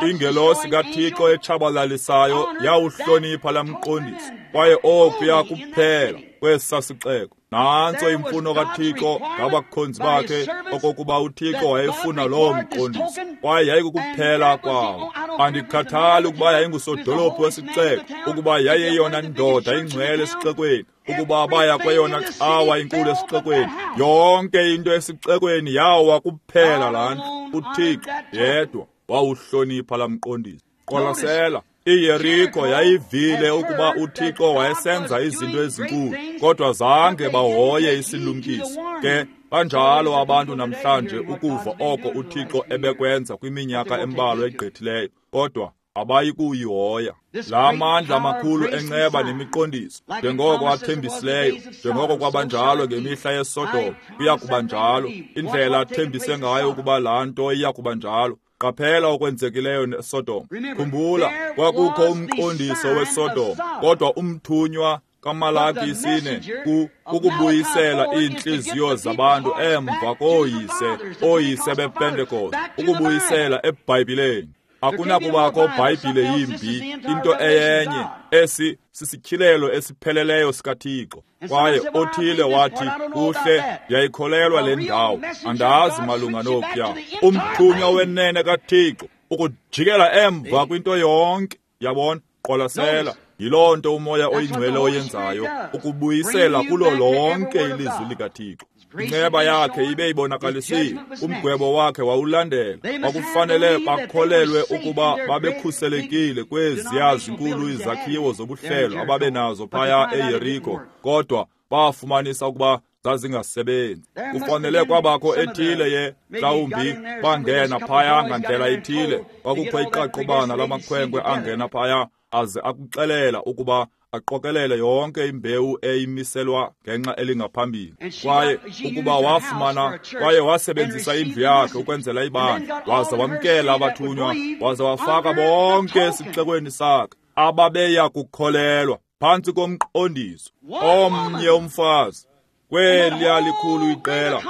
S1: Ingelosi kaThixo etshabalalisayo yawuhlonipha laa mqondiso, kwaye okuya kuphela kwesa sixeko. Nantso imfuno kaThixo ngabakhonzi bakhe, okokuba uThixo wayefuna loo mqondiso, kwaye yayikukuphela kwawo. Andikhathali ukuba yayingusodolophu wesixeko, ukuba yayeyona ndoda ingcwele esixekweni, ukuba baya kweyona cawa inkulu esixekweni, yonke into esixekweni yawa kuphela laa ndlu. UThixo yedwa wawuhlonipha laa mqondiso. Qwalasela, iYeriko yayivile ukuba uThixo wayesenza izinto ezinkulu, kodwa zange bahoye isilumkiso. Ke banjalo abantu namhlanje ukuva oko uThixo ebekwenza kwiminyaka embalwa egqithileyo, kodwa abayi kuyihoya. La mandla makhulu enceba nemiqondiso, njengoko athembisileyo, njengoko kwabanjalo ngemihla yeSodom, kuya kuba njalo. Indlela athembise ngayo ukuba laa nto iya kuba njalo. Qaphela okwenzekileyo neSodom. Khumbula, kwakukho umqondiso weSodom, kodwa umthunywa kaMalaki isine ku ukubuyisela iintliziyo zabantu emva kooyise, ooyise bePentekoste, ukubuyisela eBhayibhileni. Akunakubakho Bhayibhile yimbi, into eyenye, esi sisityhilelo esipheleleyo sikaThixo. Kwaye othile wathi, kuhle, ndiyayikholelwa le ndawo, andazi malunga nokuya. Umthunywa wenene kaThixo ukujikela emva kwinto yonke. Yabona, qwalasela, yiloo nto uMoya oyiNgcwele oyenzayo, ukubuyisela kulo lonke ilizwi likaThixo. Inceba yakhe ibe ibonakalisiwe, umgwebo wakhe wawulandela. Kwakufanele bakholelwe ukuba babekhuselekile kweziya zinkulu izakhiwo zobuhlelo ababenazo phaya eYeriko, kodwa bafumanisa ukuba zazingasebenzi. Kufanele kwabakho ethile ye mhlawumbi bangena phaya ngandlela ithile, kwakukho iqaqobana lamakhwenkwe angena phaya aze akuxelela ukuba aqokelele yonke imbewu eyimiselwa ngenxa elingaphambili. Kwaye ukuba wafumana, kwaye wasebenzisa indlu yakhe ukwenzela ibandla, waza wamkela abathunywa, waza wafaka bonke esixekweni sakhe ababeya kukholelwa phantsi komqondiso. Omnye umfazi kweliya likhulu iqela,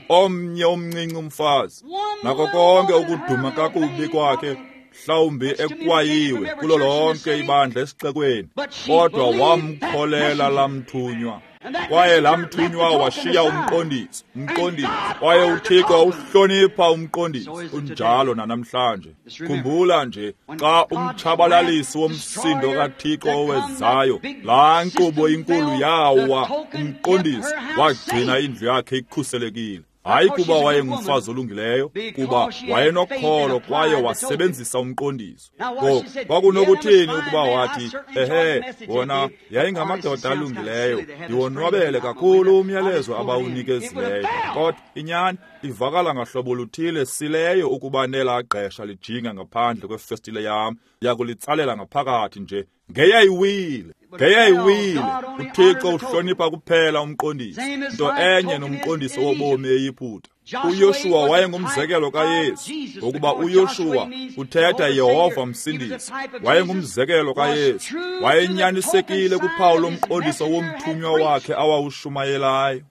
S1: omnye omncinci umfazi, nako konke ukuduma kakubi kwakhe, mhlawumbi ekwayiwe kulo lonke ibandla esixekweni, kodwa wamkholela lamthunywa. Kwaye lamthunywa washiya umqondiso, umqondiso. Kwaye uThixo wawuhlonipha umqondiso, unjalo nanamhlanje. Khumbula nje, xa umtshabalalisi womsindo kaThixo owezayo, laa nkqubo inkulu yawa, umqondiso wagcina indlu yakhe ikhuselekile. Hayi kuba wayengumfazi olungileyo, kuba wayenokholo kwaye wasebenzisa umqondiso. Ngoku kwakunokuthini ukuba wathi, ehe, wona yayingamadoda alungileyo, ndiwonwabele kakhulu umyalezo abawunikezileyo, kodwa inyani ivakala ngahlobo luthile sileyo ukuba nelaa gqesha lijinga ngaphandle kwefestile yam, yakulitsalela ngaphakathi nje. Ngeyayiwile, ngeyayiwile. uThixo uhlonipha kuphela umqondiso, nto enye nomqondiso wobomi eYiputa. uYoshuwa wayengumzekelo kaYesu, ngokuba uYoshuwa uthetha Yehova Msindisi. Wayengumzekelo kaYesu, wayenyanisekile kuphawu lomqondiso womthunywa wakhe awawushumayelayo.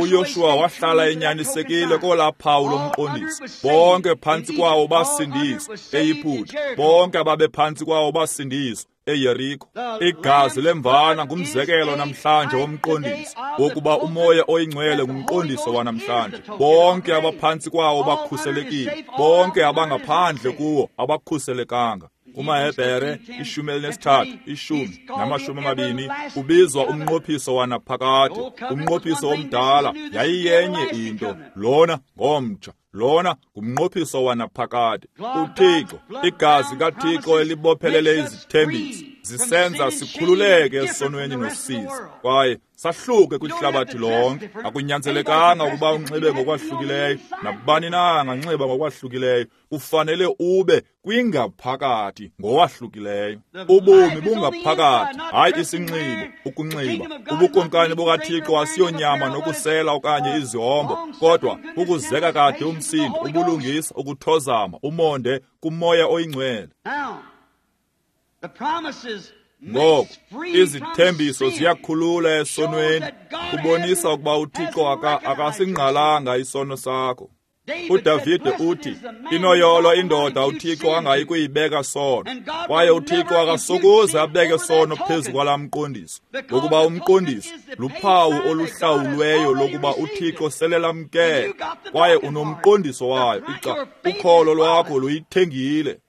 S1: uYoshuwa wahlala enyanisekile kolaa phawu lomqondiso. Bonke phantsi kwawo basindiswa eYiputa, bonke ababephantsi kwawo basindiswa eYeriko. Igazi lemvana ngumzekelo namhlanje womqondiso, wokuba uMoya oyiNgcwele ngumqondiso wanamhlanje. Bonke abaphantsi kwawo bakhuselekile, bonke abangaphandle kuwo abakhuselekanga. KumaHebhere ishumi elinesithathu, ishumi namashumi amabini, ubizwa umnqophiso wanaphakade. Umnqophiso omdala yayiyenye into, lona ngomtsha, lona ngumnqophiso wanaphakade. uThixo, igazi kaThixo elibophelele izithembiso, zisenza sikhululeke esonweni nosizi, kwaye sahluke kwihlabathi lonke. Akunyanzelekanga ukuba unxibe ngokwahlukileyo, nabani na anganxiba ngokwahlukileyo. Kufanele ube kwingaphakathi ngowahlukileyo. Ubomi bungaphakathi, hayi isinxibo, ukunxiba. Ubukumkani bukaThixo asiyonyama nokusela okanye izihombo, kodwa ukuzeka kade umsindo, ubulungisa, ukuthozama, umonde kuMoya oyiNgcwele.
S2: The promises
S1: Ngoko izithembiso ziyakhulula esonweni, kubonisa ukuba uThixo akasingqalanga isono sakho. UDavide uthi, inoyolo indoda uThixo angayi kuyibeka sono, kwaye uThixo akasokuze abeke sono phezu kwalaa mqondiso, ngokuba umqondiso luphawu oluhlawulweyo lokuba uThixo sele lamkele, kwaye unomqondiso wayo. Ukholo lwakho luyithengile,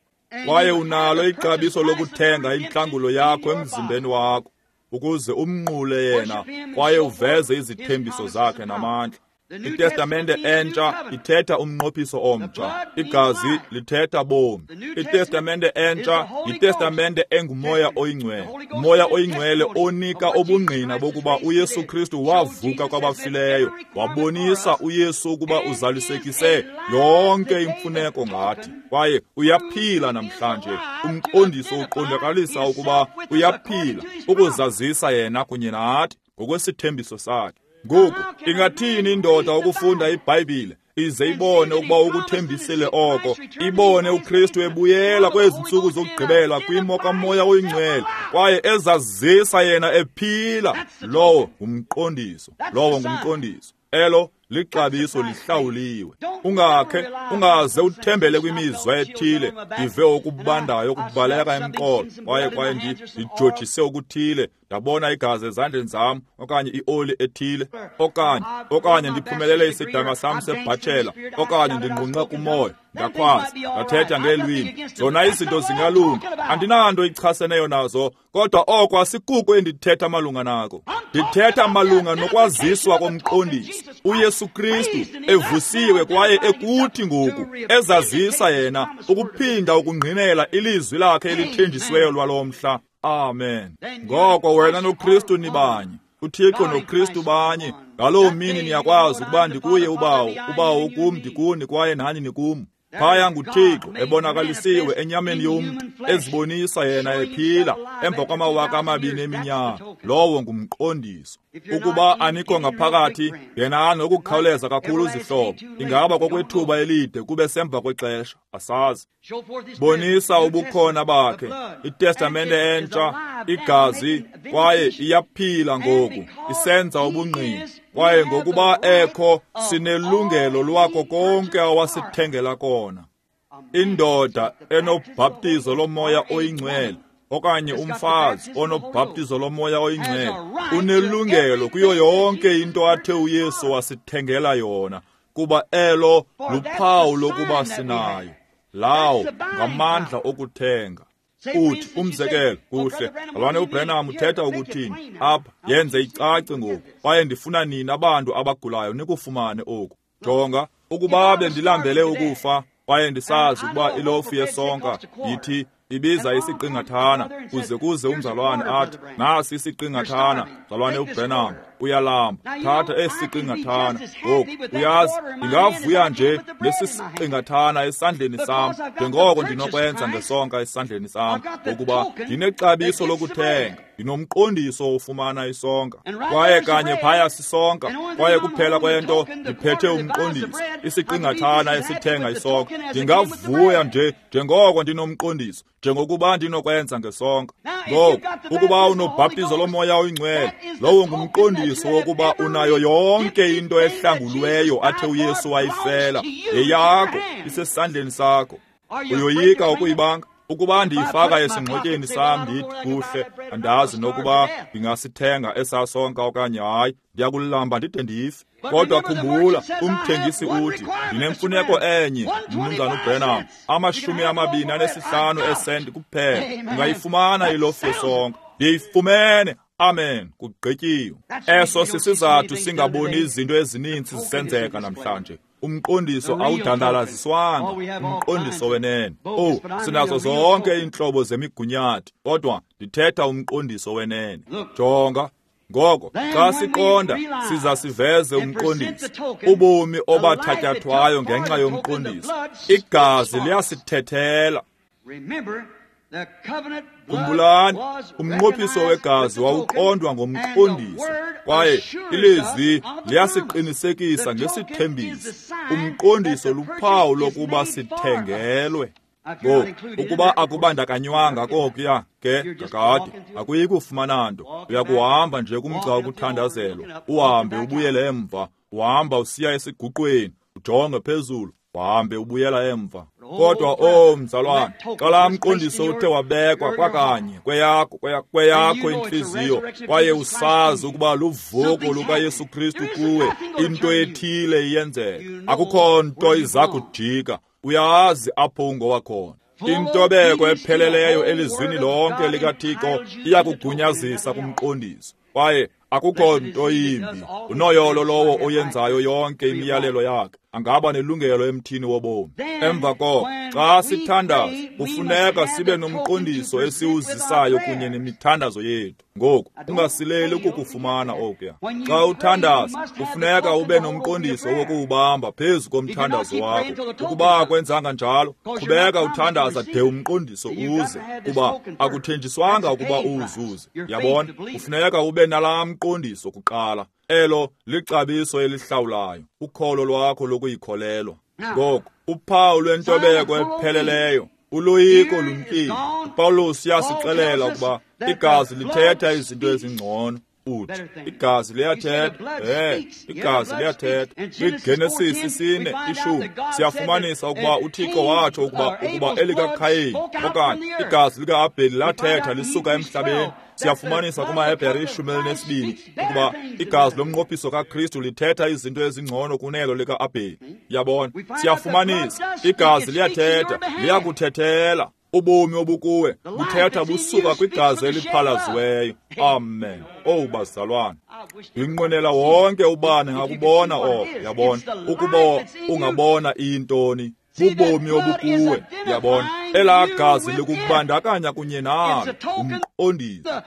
S1: kwaye unalo ixabiso lokuthenga intlangulo yakho emzimbeni wakho, ukuze umnqule yena kwaye uveze izithembiso zakhe namandla. ITestamente entsha ithetha umnqophiso omtsha. Igazi lithetha bomi. ITestamente entsha yiTestamente enguMoya oyiNgcwele. Umoya oyiNgcwele onika ubungqina bokuba uYesu Kristu wavuka kwabafileyo, wabonisa uYesu ukuba uzalisekise yonke imfuneko ngathi, kwaye uyaphila namhlanje. Umqondiso uqondakalisa ukuba uyaphila, ukuzazisa yena kunye nathi ngokwesithembiso sakhe. Ngoku ingathini indoda ukufunda iBhayibhile ize ibone ukuba ukuthembisile oko, ibone uKristu ebuyela kwezi ntsuku zokugqibela kwimo kaMoya oyiNgcwele, kwaye ezazisa yena ephila. Lowo ngumqondiso, lowo ngumqondiso. Elo lixabiso lihlawuliwe. Ungakhe ungaze uthembele kwimizwa ethile, ndive okubandayo okubaleka emqolo, kwaye kwaye ndijojise okuthile, ndabona igazi ezandleni zam, okanye ioli ethile, okanye okanye ndiphumelele isidanga sam sebhatshela, okanye ndinqunqe kumoya, ndakhwaza, ndathetha ngeelwimi. Zona izinto zingalunga, andinanto ichaseneyo nazo, kodwa oko asikuko endithetha malunga nako. Ndithetha malunga nokwaziswa komqondiso, uYesu Kristu evusiwe kwaye ekuthi ngoku ezazisa yena ukuphinda ukungqinela ilizwi lakhe elithenjisiweyo lwalo mhla. Amen. Ngoko wena noKristu nibanye, uThixo noKristu banye. Ngaloo mini niyakwazi ukuba ndikuye uBawo, uBawo ukum, ndikuni, kwaye nani nikum. Phaya nguThixo ebonakalisiwe enyameni yomntu, ezibonisa yena ephila emva kwamawaka amabini eminyaka. Lowo ngumqondiso. Ukuba anikho ngaphakathi, ngenani ngokukhawuleza kakhulu zihlobo. Ingaba kokwethuba elide kube semva kwexesha, asazi. Bonisa ubukhona bakhe. ITestamente entsha, igazi, kwaye iyaphila ngoku, isenza ubungqina. Kwaye ngokuba ekho, sinelungelo lwako konke awasithengela kona. Indoda enobhaptizo loMoya oyiNgcwele, okanye umfazi onobhaptizo loMoya oyiNgcwele, unelungelo kuyo yonke into athe uYesu wasithengela yona, kuba elo luphawu lokuba sinayo. Lawo ngamandla okuthenga. Uthi umzekelo, kuhle, Mzalwane uBranham uthetha ukuthini apha? Yenze icace ngoku, kwaye ndifuna nina abantu abagulayo nikufumane oku. Jonga, ukuba bendilambele ukufa, kwaye ndisazi ukuba ilofu yesonka yithi ibiza isiqingathana, kuze kuze umzalwane athi, nasi isiqingathana, mzalwane uBranham, uyalamba, thatha esi siqingathana. Ngoku uyazi, ndingavuya nje nesi siqingathana esandleni sam, njengoko ndinokwenza ngesonka esandleni sam, ngokuba ndinexabiso lokuthenga, ndinomqondiso ofumana isonka, kwaye kanye phaya sisonka, kwaye kuphela kwento ndiphethe umqondiso, isiqingathana esithenga isonka. Ndingavuya nje njengoko ndinomqondiso, njengokuba ndinokwenza ngesonka. Ngoku ukuba unobhaptizo loMoya oyiNgcwele, lowo ngumqondiso wokuba unayo yonke into ehlangulweyo athe uYesu wayifela. Yeyakho, isesandleni sakho. Uyoyika ukuyibanga? Ukuba ndiyifaka esingxotyeni sam ndithi kuhle, andazi nokuba ndingasithenga esasonka okanye hayi, ndiyakulamba ndide ndife. Kodwa khumbula, umthengisi uthi, ndinemfuneko enye, Mnumzana uBranham, amashumi amabini anesihlanu esenti kuphela. Ungayifumana ilofu yesonka. Ndiyifumene. Amen. Kugqityiwe. Eso sisizathu singaboni izinto ezininzi zisenzeka namhlanje. Umqondiso awudandalaziswanga, umqondiso wenene. Oh, sinazo zonke iintlobo zemigunyathi, kodwa ndithetha umqondiso wenene. Jonga, ngoko xa siqonda siza siveze umqondiso, ubomi obathatyathwayo ngenxa yomqondiso. Igazi liyasithethela. Khumbulani, umnqophiso wegazi wawuqondwa ngomqondiso, kwaye ilizwi liyasiqinisekisa ngesithembiso. Umqondiso luphawu lokuba sithengelwe. Ngoku ukuba akubandakanywanga kokuya ke kakade akuyi kufumana nto. Uyakuhamba nje kumgca wokuthandazelwa, uhambe ubuyele emva, uhamba usiya esiguqweni, ujonge phezulu, uhambe ubuyela emva. Kodwa o mzalwane, xa laa mqondiso uthe wabekwa kwakanye kweyakho kweyakho intliziyo, kwaye usazi ukuba luvuko lukaYesu Kristu kuwe, into ethile iyenzeka. Akukho nto iza kujika. Uyazi apho ungowakhona. Intobeko epheleleyo elizwini lonke likaThixo iyakugunyazisa kumqondiso, kwaye akukho nto yimbi. Unoyolo lowo oyenzayo yonke imiyalelo yakhe, angaba nelungelo emthini wobomi. Emva koko xa sithandaza, kufuneka sibe nomqondiso esiwuzisayo kunye nemithandazo yethu. Ngoku ungasileli ukukufumana okuya. Xa uthandaza, kufuneka ube nomqondiso wokuwubamba phezu komthandazo wakho. Ukuba akwenzanga njalo, qhubeka uthandaza de umqondiso uze, kuba akuthenjiswanga ukuba uwuzuze. Yabona, kufuneka ube nalaa mqondiso kuqala. Elo lixabiso elihlawulayo, ukholo lwakho lokuyikholelwa. Ngoku uphawu lwentobeko epheleleyo, uloyiko lumkile. uPawulos uyasixelela ukuba igazi lithetha izinto ezingcono. Uthi igazi liyathetha, eh, igazi liyathetha. KwiGenesis isine ishumi siyafumanisa ukuba uThixo watsho ukuba ukuba elikaKhayini okanye igazi lika-Abheli lathetha lisuka emhlabeni. Siyafumanisa kumaHebhere ishumi elinesibini ukuba igazi lomnqophiso kaKristu lithetha izinto ezingcono kunelo lika-Abheli. Yabona, siyafumanisa igazi liyathetha, liyakuthethela. Ubomi obukuwe buthetha busuka kwigazi eliphalaziweyo. Amen. Owu bazalwane, ndinqwenela wonke ubani ngakubona oko. Yabona, ukuba ungabona intoni, bubomi obukuwe. Yabona, elaa gazi likubandakanya kunye nalo, umqondiso.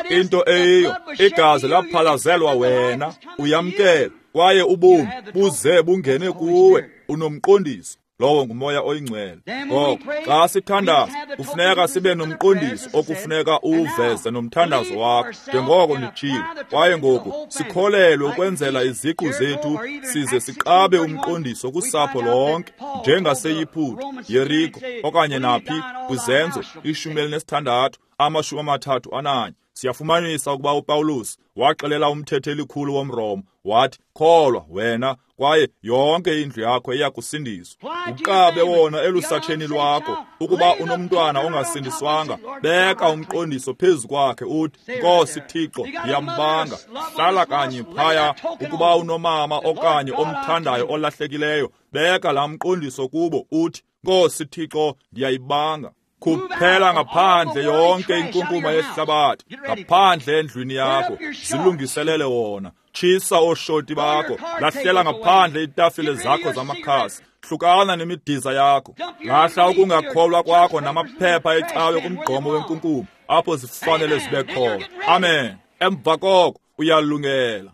S1: Into eyiyo, igazi laphalazelwa wena, uyamkela, kwaye ubomi buze bungene kuwe, unomqondiso. Lowo nguMoya oyiNgcwele. Ngoko xa sithandaza, kufuneka sibe nomqondiso okufuneka uwuveze nomthandazo wakho, njengoko nditshilo. Kwaye ngoku sikholelwe ukwenzela iziqu zethu, size siqabe umqondiso kusapho lonke, njengaseYiputa, Yeriko, okanye naphi, kwiZenzo ishumi elinesithandathu, amashumi amathathu ananye. Siyafumanisa ukuba uPawulos waxelela umthetheli-khulu womRoma, wathi, kholwa wena, kwaye yonke indlu yakho iyakusindiswa. Uqabe wona elusatsheni lwakho. Ukuba unomntwana ongasindiswanga, beka umqondiso phezu kwakhe, uthi, Nkosi Thixo, ndiyambanga. Hlala kanye phaya. Ukuba unomama okanye omthandayo olahlekileyo, beka laa mqondiso kubo, uthi, Nkosi Thixo, ndiyayibanga. Khuphela ngaphandle yonke inkunkuma yehlabathi, ngaphandle endlwini yakho, zilungiselele wona. Tshisa ooshoti bakho, lahlela ngaphandle iitafile zakho zamakhasi, hlukana nemidiza yakho, lahla ukungakholwa kwakho namaphepha ecawe kumgqomo wenkunkuma, apho zifanele zibe khona. Amen. Emva koko uyalungela.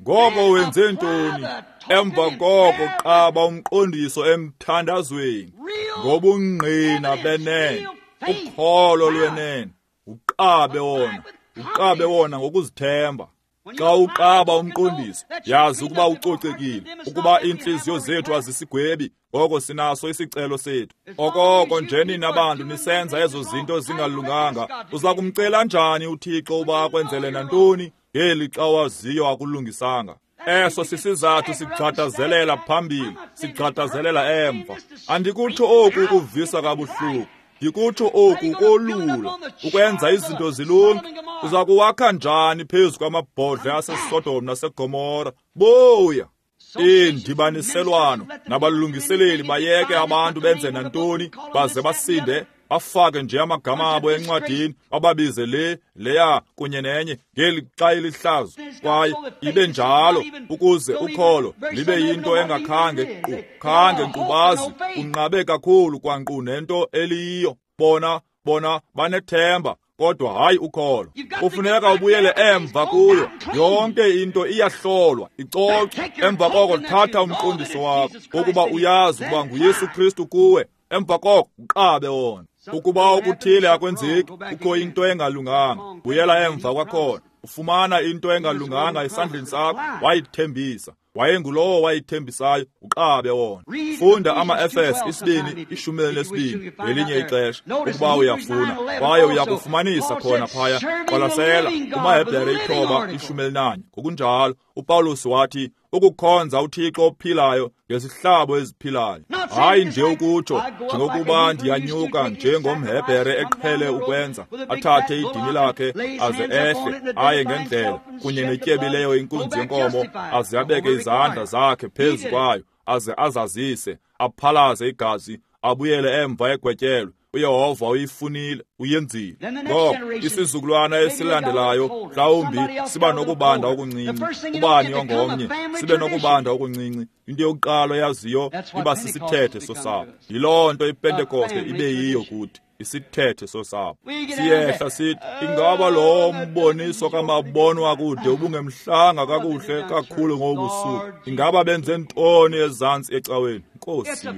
S1: Ngoko wenze ntoni? Emva koko qaba umqondiso emthandazweni ngobungqina benene, ukholo lwenene. Uqabe wona, uqabe wona ngokuzithemba. Xa uqaba umqondiso, yazi ukuba ucocekile, ukuba iintliziyo zethu azisigwebi, ngoko sinaso isicelo sethu. Okoko nje nina bantu nisenza ezo zinto zingalunganga, uza kumcela njani uThixo uba akwenzele nantoni ngeli xa waziyo akulungisanga? Eso sisizathu sigxadazelela phambili, sigxadazelela emva. Andikutsho oku ukuvisa kabuhlungu, ndikutsho oku kolula, ukwenza izinto zilunge. Uza kuwakha njani phezu kwamabhodle aseSodom naseGomora? Buya! Iindibaniselwano nabalungiseleli bayeke abantu benze nantoni, baze basinde, bafake nje amagama abo encwadini, bababize le, leya kunye nenye ngeli xa ilihlazo. Kwaye ibe njalo ukuze ukholo libe yinto engakhange nkqu, khange nkqu bazi, kunqabe kakhulu kwankqu nento eliyiyo. Bona, bona banethemba, kodwa hayi ukholo. Kufuneka ubuyele emva kuyo. Yonke into iyahlolwa, icocwe. Emva koko thatha umqondiso wakho, ukuba uyazi ukuba nguYesu Kristu kuwe. Emva koko uqabe wona. Ukuba okuthile akwenzeki, kukho into engalunganga, buyela emva kwakhona. Ufumana into engalunganga esandleni sakho, wayithembisa. Wayengulowo wayithembisayo, uqabe wona. Funda ama-Efese isibini ishumi elinesibini ngelinye ixesha ukuba uyafuna, kwaye uyakufumanisa khona phaya. Qwalasela kumaHebhere ithoba ishumi elinanye. Ngokunjalo uPawulos wathi ukukhonza uThixo ophilayo ngezihlabo eziphilayo. Hayi nje ukutsho njengokuba ndiyanyuka njengomHebhere eqhele ukwenza, athathe idini lakhe aze ehle aye ngendlela kunye netyebileyo inkunzi yenkomo, aze abeke izandla zakhe phezu kwayo, aze azazise, aphalaze igazi, abuyele emva egwetyelwe. uYehova uyifunile, uyenzile. Ngoko isizukulwana esilandelayo mhlawumbi siba nokubanda okuncinci, ubani ongomnye sibe nokubanda okuncinci. Into yokuqala oyaziyo iba sisithethe sosapho. Yiloo nto iPentekoste ibe yiyo kuthi, isithethe sosapho. Siyehla sithi, ingaba lo mboniso kamabonwa kude ubungemhlanga kakuhle kakhulu ngobusuku? Ingaba benze ntoni ezantsi ecaweni? Nkosi Yesu,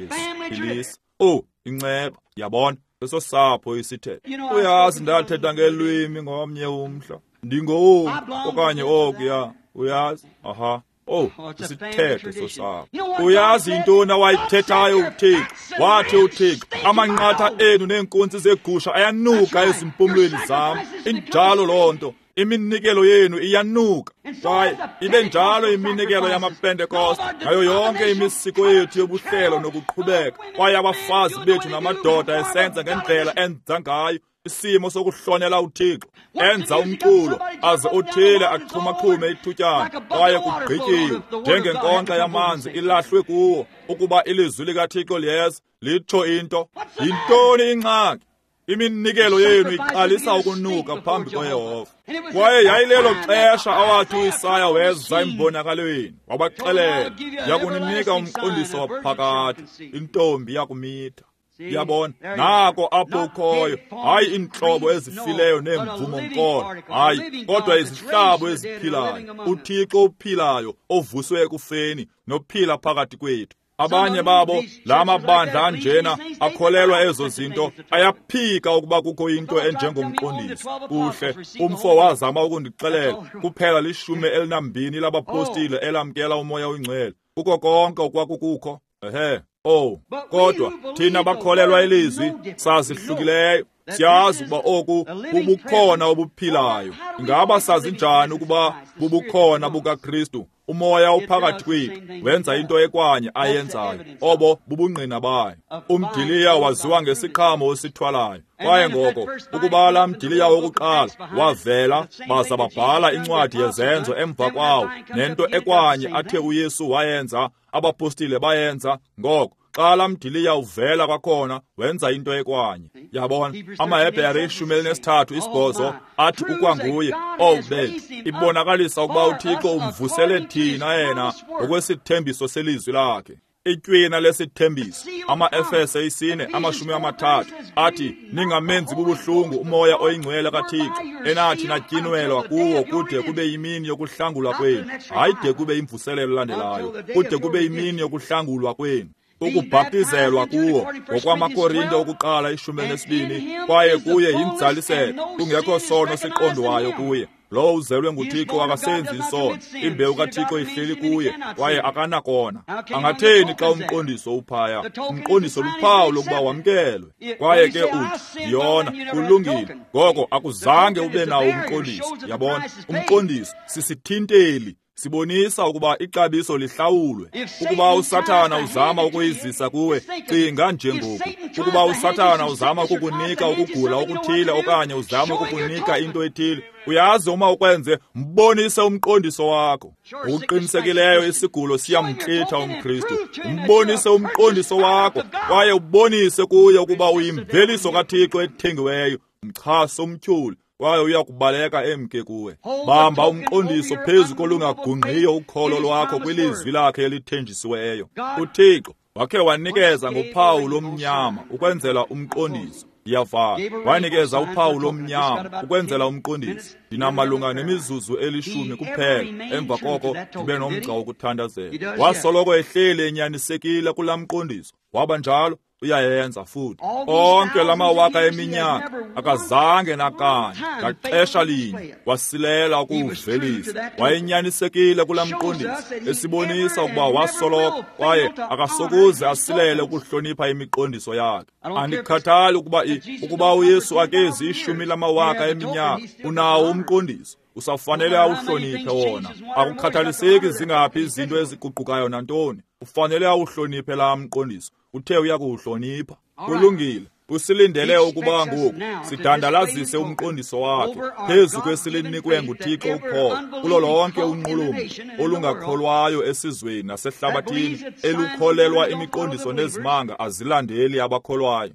S1: philisa. Oh, inceba, yabona, sesosapho isithethe. Uyazi ndathetha ngelwimi ngomnye umhla. Ndingoku okanye okuya, uyazi? Aha. Oh, isithethe sosapho. Uyazi intoni awayithethayo uThixo? Wathi uThixo, amanqatha enu neenkunzi zegusha ayanuka ezimpumlweni zam. Injalo loo nto. Iminikelo yenu iyanuka. Kwaye ibe njalo iminikelo yamaPentekoste ngayo yonke imisiko yethu yobuhlelo nokuqhubeka. Kwaye abafazi bethu namadoda esenza ngendlela enza ngayo, isimo sokuhlonela uThixo, enza umculo aze othile axhumaxhume ithutyana, kwaye kugqityiwe njengenkonxa yamanzi ilahlwe kuwo, ukuba ilizwi likaThixo liyeza litsho into. Yintoni ingxaki? Iminikelo yenu iqalisa ukunuka phambi koYehova. Kwaye yayilelo xesha awathi uIsaya weza embonakalweni, wabaxelela, yakuninika umqondiso waphakade, intombi yakumitha. Yabona, nako apho ukhoyo, hayi iintlobo ezifileyo neemvumo nkolo, hayi, kodwa izihlabo eziphilayo, uThixo ophilayo ovuswe ekufeni nophila phakathi kwethu. Abanye babo la mabandla anjena akholelwa ezo zinto, ayaphika ukuba kukho into enjengomqondiso. Kuhle, umfo wazama ukundixelela, kuphela lishumi elinambini labapostile elamkela uMoya oyiNgcwele. Kuko konke okwakukukho. Ehe. Oh, kodwa thina bakholelwa ilizwi sazihlukileyo. Siyazi ukuba oku bubukhona obuphilayo. Ingaba sazi njani ukuba bubukhona bukaKristu? Umoya uphakathi kwethu wenza into ekwanye ayenzayo. Obo bubungqina bayo. Umdiliya waziwa ngesiqhamo osithwalayo. Kwaye ngoko ukuba laa mdiliya wokuqala wavela, baza babhala incwadi yezenzo emva kwawo, nento ekwanye athe uYesu wayenza, abapostile bayenza. Ngoko xa laa mdiliya uvela kwakhona wenza into ekwanye. Yabona, amaHebhere ishumi elinesithathu isibhozo athi ukwanguye. Oh bethu, ibonakalisa ukuba uThixo umvusele thina yena ngokwesithembiso selizwi lakhe. Itywina lesithembiso, ama-Efese isine amashumi amathathu athi, ningamenzi bubuhlungu uMoya oyiNgcwele kaThixo, enathi natyinwelwa kuwo kude kube yimini yokuhlangulwa kwenu. Hayi de kube imvuselelo elandelayo, kude kube yimini yokuhlangulwa kwenu. Ukubhaptizelwa kuwo ngokwamaKorinte okuqala ishumi elinesibini, kwaye kuye yinzaliseko, kungekho sono siqondwayo kuye. Lowo uzelwe nguThixo akasenzi isono, imbewu kaThixo ihleli kuye, kwaye akanakona. Angatheni xa umqondiso uphaya? Umqondiso luphawu lokuba wamkelwe. Kwaye ke uthi, ndiyona, kulungile. Ngoko akuzange ube nawo umqondiso. Yabona, umqondiso sisithinteli, sibonisa ukuba ixabiso lihlawulwe. Ukuba uSathana uzama ukuyizisa kuwe, cinga njengoku. Ukuba uSathana uzama ukukunika ukugula okuthile okanye uzama ukukunika into ethile, uyazi uma ukwenze, mbonise umqondiso wakho. Ngokuqinisekileyo isigulo siyamchitha umKristu. Mbonise umqondiso wakho kwaye ubonise kuye ukuba uyimveliso kaThixo ethengiweyo. Mchase umtyholi, kwaye uyakubaleka emke kuwe. Bamba umqondiso phezu kolungagungqiyo ukholo lwakho kwilizwi lakhe elithenjisiweyo. uThixo wakhe wanikeza ngophawu lomnyama ukwenzela umqondiso. Ndiyavala. Wanikeza uphawu lomnyama ukwenzela umqondiso. Ndinamalunga nemizuzu elishumi kuphela, emva koko ndibe nomgca wokuthandazela. Wasoloko ehleli enyanisekile kulaa mqondiso. Waba njalo. uyayenza futhi. Onke lamawaka eminyaka akazange nakanye ngaxesha linye wasilela ukuwuvelisa. Wayenyanisekile kulaa mqondiso, esibonisa ukuba wasoloko kwaye akasokuze asilele ukuhlonipha imiqondiso yakhe. Andikhathali ukuba ukuba uYesu akezi ishumi lamawaka eminyaka, unawo umqondiso, usafanele awuhloniphe wona. Akukhathaliseki zingaphi izinto eziguqukayo nantoni, ufanele awuhloniphe laa mqondiso. Uthe uyakuwuhlonipha. Kulungile. Usilindele ukuba ngoku sidandalazise umqondiso wakhe phezu kwesilinikwe nguThixo ukholo kulo lonke unqulumo olungakholwayo esizweni nasehlabathini elukholelwa imiqondiso nezimanga azilandeli abakholwayo.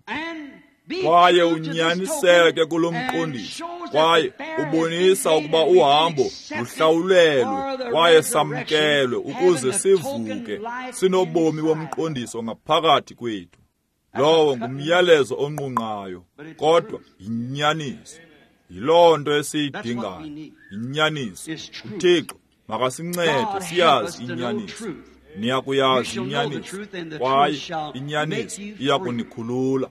S1: Kwaye unyaniseke kulo mqondiso, kwaye ubonisa ukuba uhambo luhlawulelwe kwaye samkelwe ukuze sivuke sinobomi bomqondiso ngaphakathi kwethu. Lowo ngumyalezo onqunqayo, kodwa yinyaniso. Yiloo nto esiyidingayo, yinyaniso. UThixo makasincede siyazi inyaniso. Niyakuyazi inyaniso, kwaye inyaniso iyakunikhulula.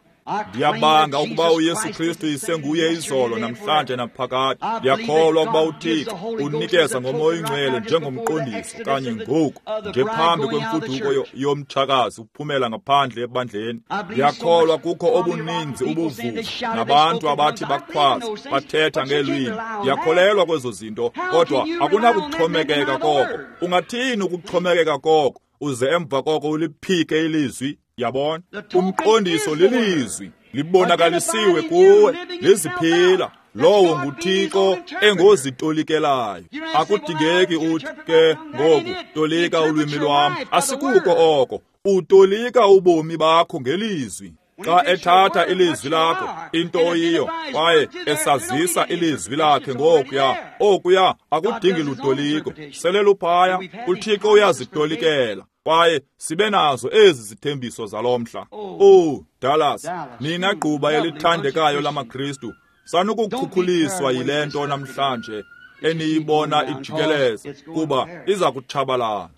S1: Ndiyabanga ukuba uYesu Kristu isenguye izolo namhlanje naphakade. Ndiyakholwa ukuba uThixo unikeza ngoMoya oyiNgcwele njengomqondiso kanye ngoku nje phambi kwemfuduko yomtshakazi uphumela ngaphandle ebandleni. Ndiyakholwa kukho obuninzi ubuvuvu nabantu abathi bakhwaza bathetha ngeelwimi. Ndiyakholelwa kwezo zinto, kodwa akunakuxhomekeka koko. Ungathini ukuxhomekeka koko uze emva koko uliphike ilizwi? Yabona, umqondiso lilizwi libonakalisiwe kuwe, liziphila. Lowo nguThixo engozitolikelayo. Akudingeki uthi ke ngoku tolika ulwimi lwam. Asikuko oko. Utolika ubomi bakho ngelizwi. Xa ethatha ilizwi lakho, into oyiyo, kwaye esazisa ilizwi lakhe ngokuya, okuya akudingi lutoliko. Sele luphaya, uThixo uyazitolikela. Kwaye sibe nazo ezi zithembiso zalo mhla. Oh, Dallas, nina gquba elithandekayo lamaKristu, sanukukhukuliswa yile nto namhlanje eniyibona ijikeleza, kuba iza kutshabalala.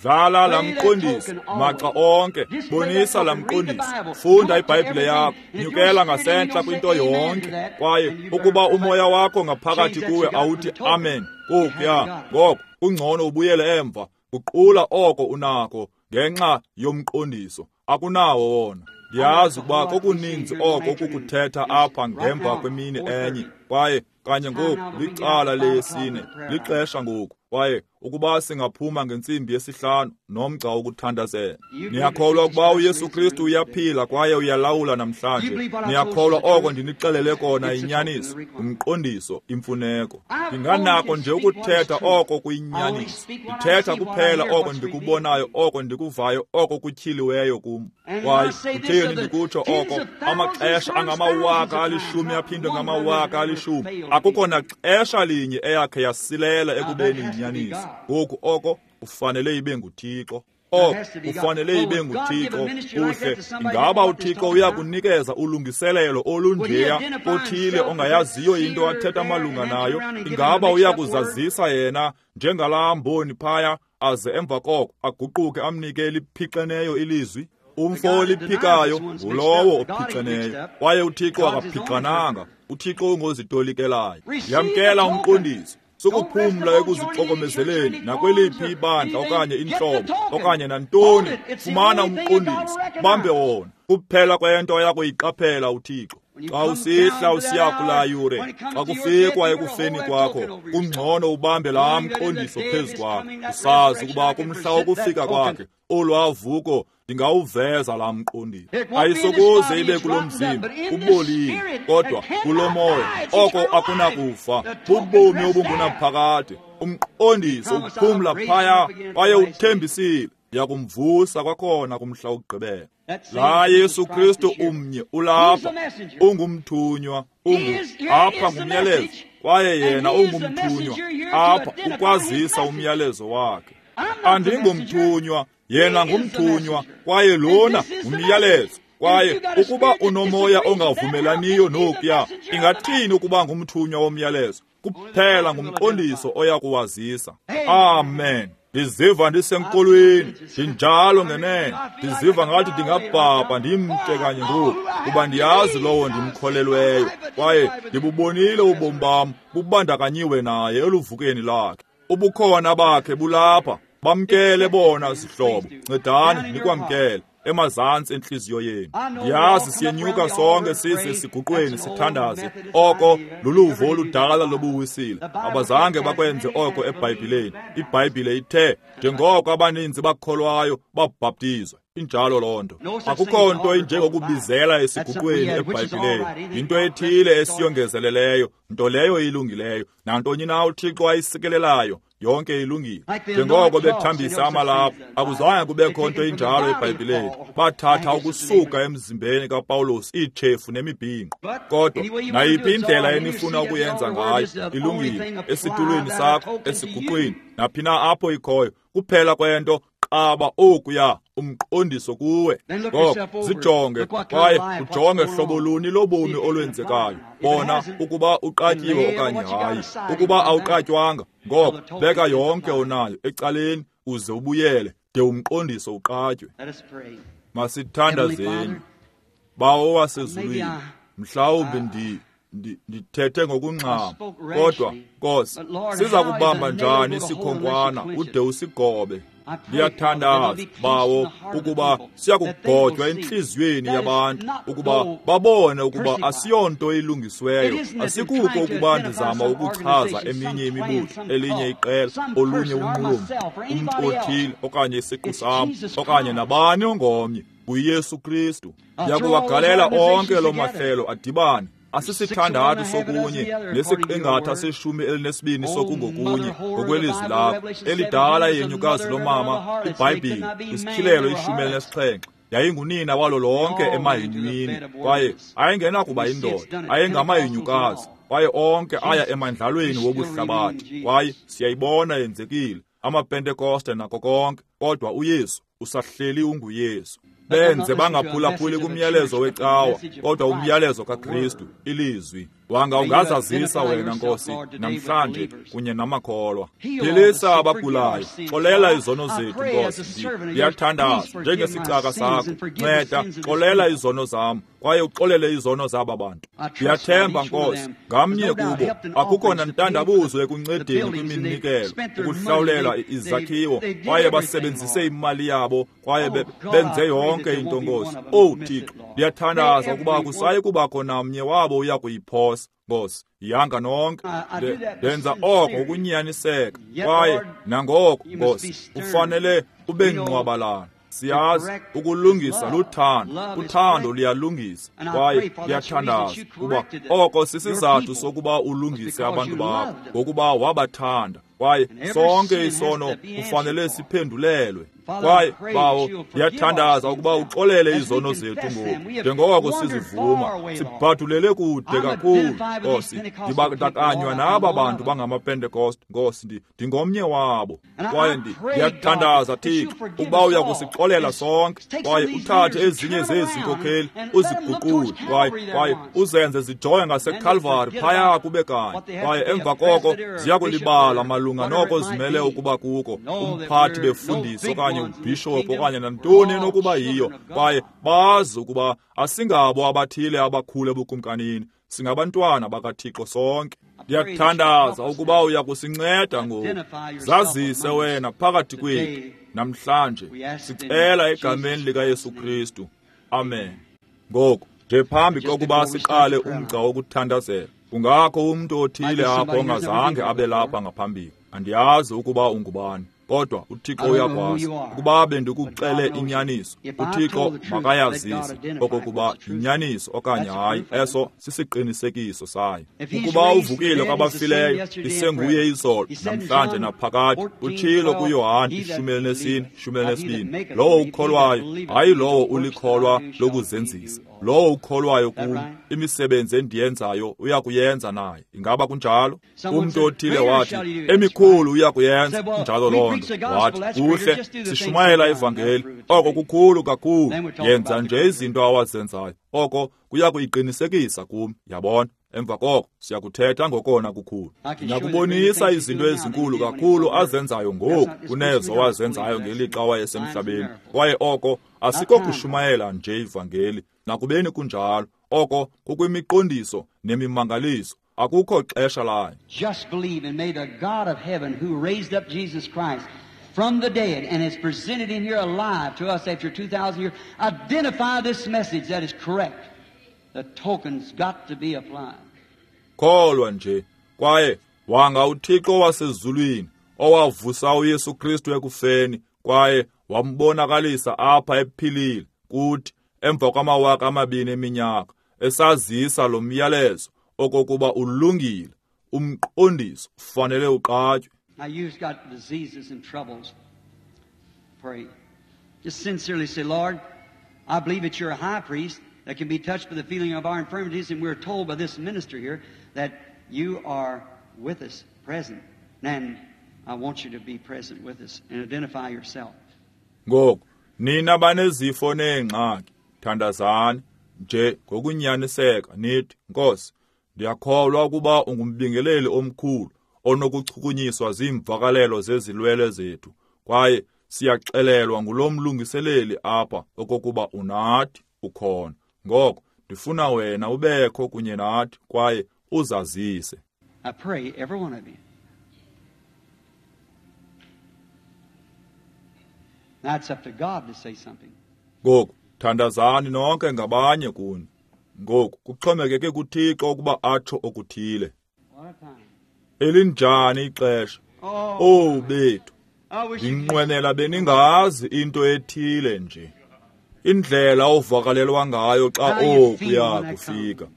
S1: Dlala laa mqondiso maxa onke, bonisa laa mqondiso, funda iBhayibhile yakho, nyukela ngasentla kwinto yonke. Kwaye ukuba umoya wakho ngaphakathi kuwe awuthi amen kokuya, ngoko kungcono ubuyele emva. Guqula oko unako ngenxa yomqondiso, akunawo wona. Ndiyazi ukuba kokuninzi oko kukuthetha apha ngemva kwemini enye, kwaye kanye ngoku licala leyesine, lixesha ngoku. Kwaye ukuba singaphuma ngentsimbi yesihlanu nomgca wokuthandazela. Niyakholwa ukuba uYesu Kristu uyaphila kwaye uyalawula namhlanje? Niyakholwa oko ndinixelele kona inyaniso, umqondiso, imfuneko? Ndinganako nje ukuthetha oko kuyinyaniso. Ndithetha kuphela oko ndikubonayo, oko ndikuvayo, oko kutyhiliweyo kum. Kwaye kutheni ndikutsho oko? Amaxesha angamawaka alishumi aphindwe ngamawaka alishumi. Akukho naxesha linye eyakhe yasilela ekubeni yinyaniso. Ngoku oko ufanele ibe nguThixo. Oko ufanele ibe nguThixo. Kuhle, ingaba uThixo uyakunikeza ulungiselelo olunjeya kothile ongayaziyo into athetha malunga nayo? Ingaba uyakuzazisa yena njengalaa mboni phaya, aze emva koko aguquke amnike eliphixeneyo ilizwi? Umfo oliphikayo ngulowo ophixeneyo, kwaye uThixo akaphixananga. uThixo ungozitolikelayo. Yamkela umqondiso. Sukuphumla ekuzixokomezeleni nakweliphi ibandla okanye intlobo okanye nantoni. Fumana umqondiso, bambe wona. Kuphela kwento oyakuyiqaphela uThixo. Xa usihla usiya kulaa yure, xa kufikwa ekufeni kwakho, kungcono ubambe laa mqondiso phezu kwakho, usazi ukuba kumhla wokufika kwakhe olwavuko ndingawuveza laa mqondiso. Ayisokuze ibe kulo mzimba ubolile, kodwa kulo moya oko akunakufa, bubomi obungunaphakade. Umqondiso uphumla phaya, kwaye uthembisile ndiyakumvusa kwakhona kumhla wokugqibela. La Yesu Kristu umnye ulapha, ungumthunywa, ungu apha ngumyalezo, kwaye yena ungumthunywa apha ukwazisa umyalezo wakhe. Andingomthunywa, yena ngumthunywa, kwaye lona ngumyalezo. Kwaye ukuba unomoya ongavumelaniyo nokuya, ingathini ukuba ngumthunywa womyalezo? Kuphela ngumqondiso oya kuwazisa. Amen. Ndiziva ndisenkolweni, ndinjalo ngenene. Ndiziva ngathi ndingabhabha ndimke kanye ngoku, kuba ndiyazi lowo ndimkholelweyo, kwaye ndibubonile ubomi bam bubandakanyiwe naye eluvukeni lakhe. Ubukhona bakhe bulapha. Bamkele bona zihlobo, ncedani nikwamkele emazantsi entliziyo yenu. Ndiyazi siyenyuka sonke size siguqweni sithandaze. Oko luluvo oludala lobuwisile. Abazange bakwenze oko eBhayibhileni. IBhayibhile ithe njengoko abaninzi bakholwayo babhaptizwa. Injalo loo nto. Akukho nto injengokubizela esiguqweni eBhayibhileni. Yinto ethile esiyongezeleleyo, nto leyo ilungileyo. Nantoni na uThixo ayisikelelayo, yonke ilungile. Njengoko bethambisa amalaphu, akuzange kubekho nto injalo eBhayibhileni. Bathatha ukusuka emzimbeni kaPawulos iitshefu nemibhinqo. Kodwa nayiphi indlela enifuna ukuyenza ngayo ilungile. Esitulweni sakho, esiguqweni, naphi na apho ikhoyo, kuphela kwento qaba okuya umqondiso kuwe. Ngoko zijonge kwaye ujonge hlobo luni lobomi olwenzekayo. Bona ukuba uqatyiwe okanye hayi. Ukuba awuqatywanga, ngoko beka yonke onayo ecaleni uze ubuyele de umqondiso uqatywe. Masithandazeni. Bawo wasezulwini, mhlawumbi ndi ndithethe ngokungxama, kodwa Nkosi, siza kubamba njani isikhonkwana ude usigobe? Ndiyathandaza, Bawo, ukuba siyakugotywa entliziyweni yabantu, ukuba babone ukuba asiyonto ilungisiweyo. Asikuko ukuba ndizama ukuchaza eminye imibutho, elinye iqela, olunye unqulo, umntu othile okanye isiqu sam, okanye nabani ongomnye. NguYesu Kristu. Ndiyakuwagalela onke loo mahlelo adibane. Asisithandathu sokunye nesiqingatha seshumi elinesibini sokungokunye ngokwelizwi lakho. Elidala yenyukazi lomama, iBhayibhile, isityhilelo ishumi elinesixhenxe, yayingunina walo lonke emahinyweni, kwaye ayengenakuba yindoda, ayengamahinyukazi, kwaye onke aya emandlalweni wobuhlabathi. Kwaye siyayibona yenzekile, amaPentekoste nako konke, kodwa uYesu usahleli unguYesu. Benze bangaphulaphuli kumyalezo wecawa, kodwa umyalezo kaKristu, ilizwi. Wanga ungazazisa wena, Nkosi, namhlanje kunye namakholwa. Philisa abagulayo, xolela izono zethu, Nkosi. Ndiyathandaza njengesicaka sakho, nceda xolela izono zam, kwaye uxolele izono zaba bantu. Ndiyathemba, Nkosi, ngamnye kubo akukho nantandabuzo ekuncedeni kwiminikelo, ukuhlawulela izakhiwo, kwaye basebenzise imali yabo, kwaye benze yonke into, Nkosi. Owu Thixo, ndiyathandaza ukuba akusayi kubakho namnye wabo uya kuyiphosa, Nkosi. Yanga nonke ndenza oko ukunyaniseka, kwaye nangoko, Nkosi, ufanele ube ngqwabalana. Siyazi ukulungisa luthando, uthando luyalungisa, kwaye ndiyathandaza kuba oko sisizathu sokuba ulungise abantu bakho, ngokuba wabathanda, kwaye sonke isono kufanele siphendulelwe. Kwaye Bawo, ndiyathandaza ukuba uxolele izono zethu ngoku, njengoko sizivuma, sibhadulele kude kakhulu, Nkosi. Ndibandakanywa naba bantu bangamaPentekoste, Nkosi, ndingomnye wabo. Kwaye ndiyathandaza, Thixo, ukuba uya kusixolela sonke, kwaye uthathe ezinye zezi nkokheli uziguqule, kwaye kwaye uzenze zijonge ngaseKalvari phaya kube kanye, kwaye emva koko ziya kulibala malunga noko zimele ukuba kuko, umphathi befundisi okanye ubhishophu okanye nantoni enokuba yiyo, kwaye bazi ukuba asingabo abathile abakhulu ebukumkanini, singabantwana bakaThixo sonke. Ndiyathandaza ukuba uya kusinceda ngoku, zazise wena phakathi kwethu namhlanje, sicela egameni likaYesu Kristu, amen. Ngoku nje phambi kokuba siqale umgca wokuthandazela, kungakho umntu othile apho ongazange abe lapha ngaphambili. Andiyazi ukuba ungubani, kodwa uThixo uyakwazi. Ukuba bendikuxele inyaniso, uThixo makayazise okokuba yinyaniso okanye hayi, eso sisiqinisekiso sayo. Ukuba uvukile kwabafileyo, isenguye izolo, namhlanje naphakade. Utshilo kuYohane ishumi elinesine, ishumi elinesibini, lowo ukholwayo, hayi lowo ulikholwa lokuzenzisa, lowo ukholwayo kum, imisebenzi endiyenzayo uyakuyenza naye. Ingaba kunjalo? Umntu othile wathi, emikhulu uyakuyenza. Injalo loo nto. Wathi, kuhle, sishumayela ivangeli, oko kukhulu kakhulu, yenza nje izinto awazenzayo, oko kuya kuyiqinisekisa kum. Yabona? Emva koko siyakuthetha ngokona kukhulu. Ndiyakubonisa izinto ezinkulu kakhulu azenzayo ngoku kunezo wazenzayo ngelixa wayesemhlabeni. Kwaye oko asikokushumayela nje ivangeli, nakubeni kunjalo, oko kukwimiqondiso nemimangaliso. Akukho xesha layo.
S2: Just believe, and may the God of heaven who raised up Jesus Christ from the dead and has presented him here alive to us after two thousand years, identify this message that is correct. The token's got to be applied.
S1: Kholwa nje, kwaye wanga uThixo wasezulwini owavusa uYesu Kristu ekufeni kwaye wambonakalisa apha ephilile kuthi emva kwamawaka amabini eminyaka, esazisa lo myalezo okokuba ulungile, umqondiso ufanele uqatywe.
S2: Now you've got diseases and troubles. Pray. Just sincerely say, Lord, I believe that you're a high priest that can be touched by the feeling of our infirmities, and we're told by this minister here that you are with us present. And I want you to be present with us and identify yourself.
S1: Ngoku, nina banezifo neengxaki, thandazani nje ngokunyaniseka nithi, Nkosi, ndiyakholwa ukuba ungumbingeleli omkhulu onokuchukunyiswa ziimvakalelo zezilwele zethu, kwaye siyaxelelwa ngulo mlungiseleli apha okokuba unathi ukhona. Ngoko ndifuna wena ubekho kunye nathi kwaye uzazise.
S2: I pray every one of you. Now it's up to God to say something.
S1: Ngoku thandazani nonke ngabanye kuni. Ngoku kuxhomekeke kuThixo ukuba atsho okuthile. Elinjani ixesha? Oh bethu, ndinqwenela beningazi into ethile nje. Indlela ovakalelwa ngayo xa okuya kufika.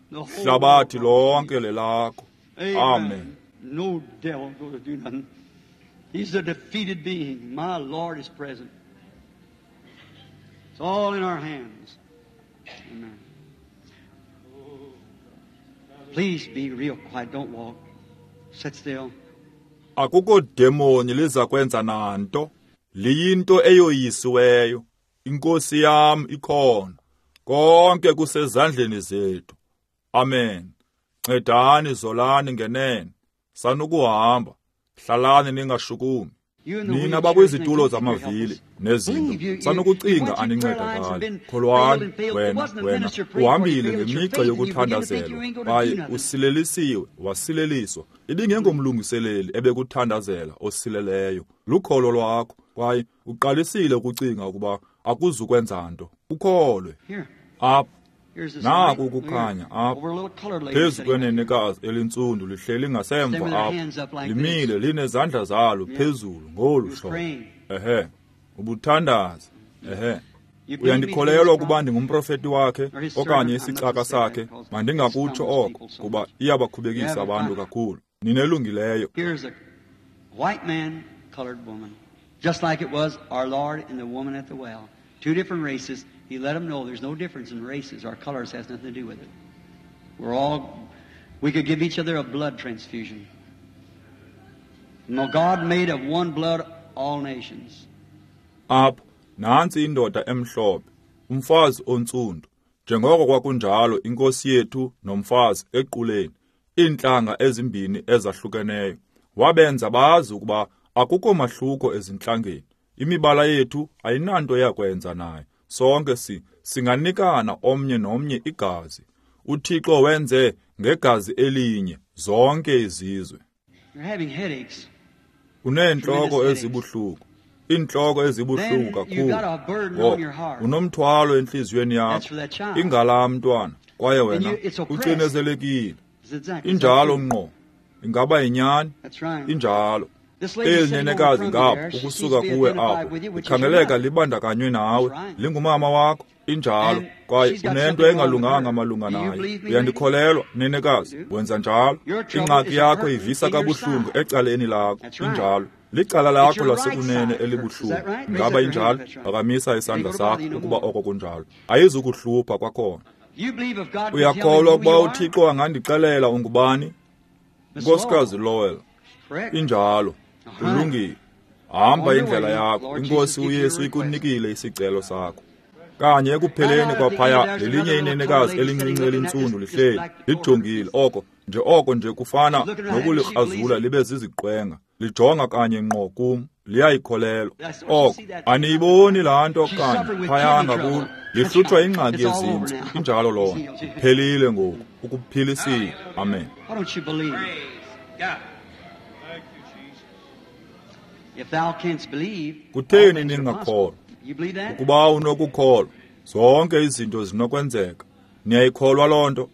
S1: Hlabathi lonke lelakho. Amen.
S2: No devil going to do nothing. He's a defeated being. My Lord is present. It's all in our hands. Amen. Please be real quiet. Don't walk. Sit still.
S1: Akukho demoni liza kwenza nanto. Liyinto eyoyisiweyo. Inkosi yam ikhona. Konke kusezandleni zethu. Amen. Ncedani zolani ngenene. Sanukuhamba. Hlalani ningashukumi. Nina bakwizitulo zamavili nezinto, sanukucinga anincedakali. Kholwani wena, wena uhambile ngemigca yokuthandazelwa kwaye usilelisiwe, wasileliswa. Ibingengomlungiseleli ebekuthandazela osileleyo, lukholo lwakho, kwaye uqalisile ukucinga ukuba akuzukwenza nto. Ukholwe. Apha naku ukukhanya apha phezu kwenenekazi elintsundu lihleli ngasemva apha, limile linezandla zalo phezulu ngolu hlobo. Ehe, ubuthandaza. Ehe, uyandikholelwa ukuba ndingumprofeti wakhe okanye isicaka sakhe? Mandingakutsho oko kuba iyabakhubekisa abantu kakhulu. Ninelungileyo.
S2: White man, colored woman, just like it was our Lord and the woman at the well. Two different races. He let them know there's no difference in races. Our colors has nothing to do with it. We're all, we could give each other a blood transfusion. No, God made of one blood all nations.
S1: Apho nantsi indoda emhlophe, umfazi ontsundu. Njengoko kwakunjalo inkosi yethu nomfazi equleni, iintlanga ezimbini ezahlukeneyo. Wabenza bazi ukuba akukho mahluko ezintlangeni. Imibala yethu ayinanto yakwenza nayo. Sonke si singanikana omnye nomnye igazi. UThixo wenze ngegazi elinye zonke izizwe. Uneentloko ezibuhlungu, iintloko ezibuhlungu kakhulu. Unomthwalo entliziyweni yakho, ingala mntwana, kwaye wena ucinezelekile. Injalo ngqo. Ingaba yinyani? Injalo. Eli nenekazi ngapha ukusuka kuwe apho ikhangeleka libandakanywe nawe, lingumama wakho. Injalo, kwaye unento engalunganga malunga nayo. Uyandikholelwa, nenekazi? Wenza njalo. Ingxaki yakho ivisa kabuhlungu ecaleni lakho. Injalo. Licala lakho lasekunene elibuhlungu. Ingaba injalo? Phakamisa isandla sakho ukuba oko kunjalo. Ayizukuhlupha kwakhona. Uyakholwa ukuba uThixo angandixelela ungubani? Nkosikazi Lowell. Injalo. Ulungile. Hamba indlela yakho. Inkosi uYesu ikunikile isicelo sakho. Kanye ekupheleni kwaphaya lelinye inenekazi elincinci elintsundu lihleli lijongile oko nje oko nje kufana nokulikrazula libe ziziqwenga, lijonga kanye ngqo kum, liyayikholelwa oko. Aniyiboni laa nto kanye phaya ngakulo, lihlutshwa ingxaki yezintso. Injalo loo nto, iphelile ngoku, ukuphilisile. Amen. Kutheni ningakholwa? Ukuba unokukholwa, zonke izinto zinokwenzeka. Niyayikholwa loo nto?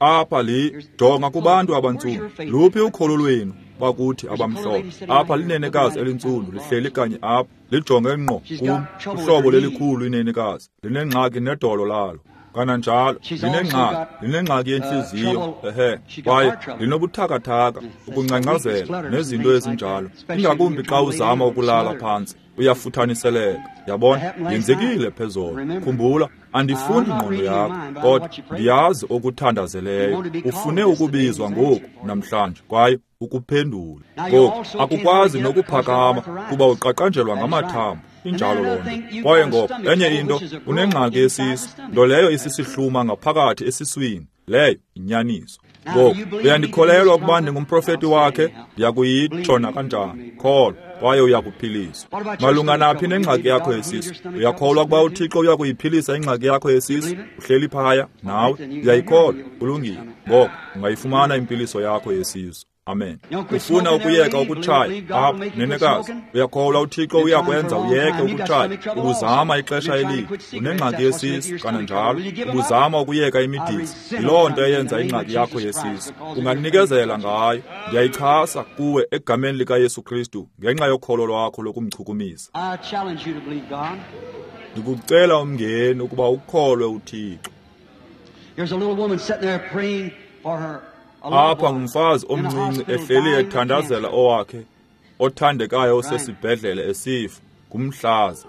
S1: Apha li jonga kubantu abantsundu. Luphi ukholo lwenu bakuthi abamhlophe? Apha linenekazi elintsundu lihleli kanye apha, lijonge ngqo kum. Uhlobo lelikhulu inenekazi linengxaki nedolo lalo. Kananjalo linengxaki, linengxaki yentliziyo, ehe, kwaye linobuthakathaka, ukungcangcazela nezinto ezinjalo, ingakumbi xa uzama ukulala phantsi, uyafuthaniseleka. Yabona, yenzekile phezolo. Khumbula, andifundi ingqondo yakho, kodwa ndiyazi okuthandazeleyo. Ufune ukubizwa ngoku namhlanje kwaye ukuphendule. Ngoku akukwazi nokuphakama kuba uqaqanjelwa ngamathambo. Injalo loo nto. Kwaye ngoko enye into, unengxaki yesisu, nto leyo isisihluma ngaphakathi esiswini. Leyo inyaniso. Ngoku uyandikholelwa ukuba ndingumprofeti wakhe? Ndiyakuyitsho nakanjani. Kholwa kwaye uyakuphiliswa. Malunga naphi nengxaki yakho yesisu? Uyakholwa ukuba uThixo uyakuyiphilisa ingxaki yakho yesisu? Uhleli phaya nawe, uyayikholwa. Kulungile. Ngoko ungayifumana impiliso yakho yesisu. Amen. Ufuna ukuyeka ukutshaya apha, nenekazi? Uyakholwa uThixo uyakwenza uyeke ukutshaya? Ubuzama ixesha elide, unengxaki yesisu kananjalo, ubuzama ukuyeka imidizi. Yiloo nto eyenza ingxaki yakho yesisu. Unganikezela ngayo. Ndiyayichasa kuwe egameni likaYesu Kristu ngenxa yokholo lwakho lokumchukumisa. Ndikucela umngeni ukuba ukholwe uThixo. Apha ngumfazi omncinci ehleli ethandazela owakhe othandekayo osesibhedlele esifa ngumhlaza.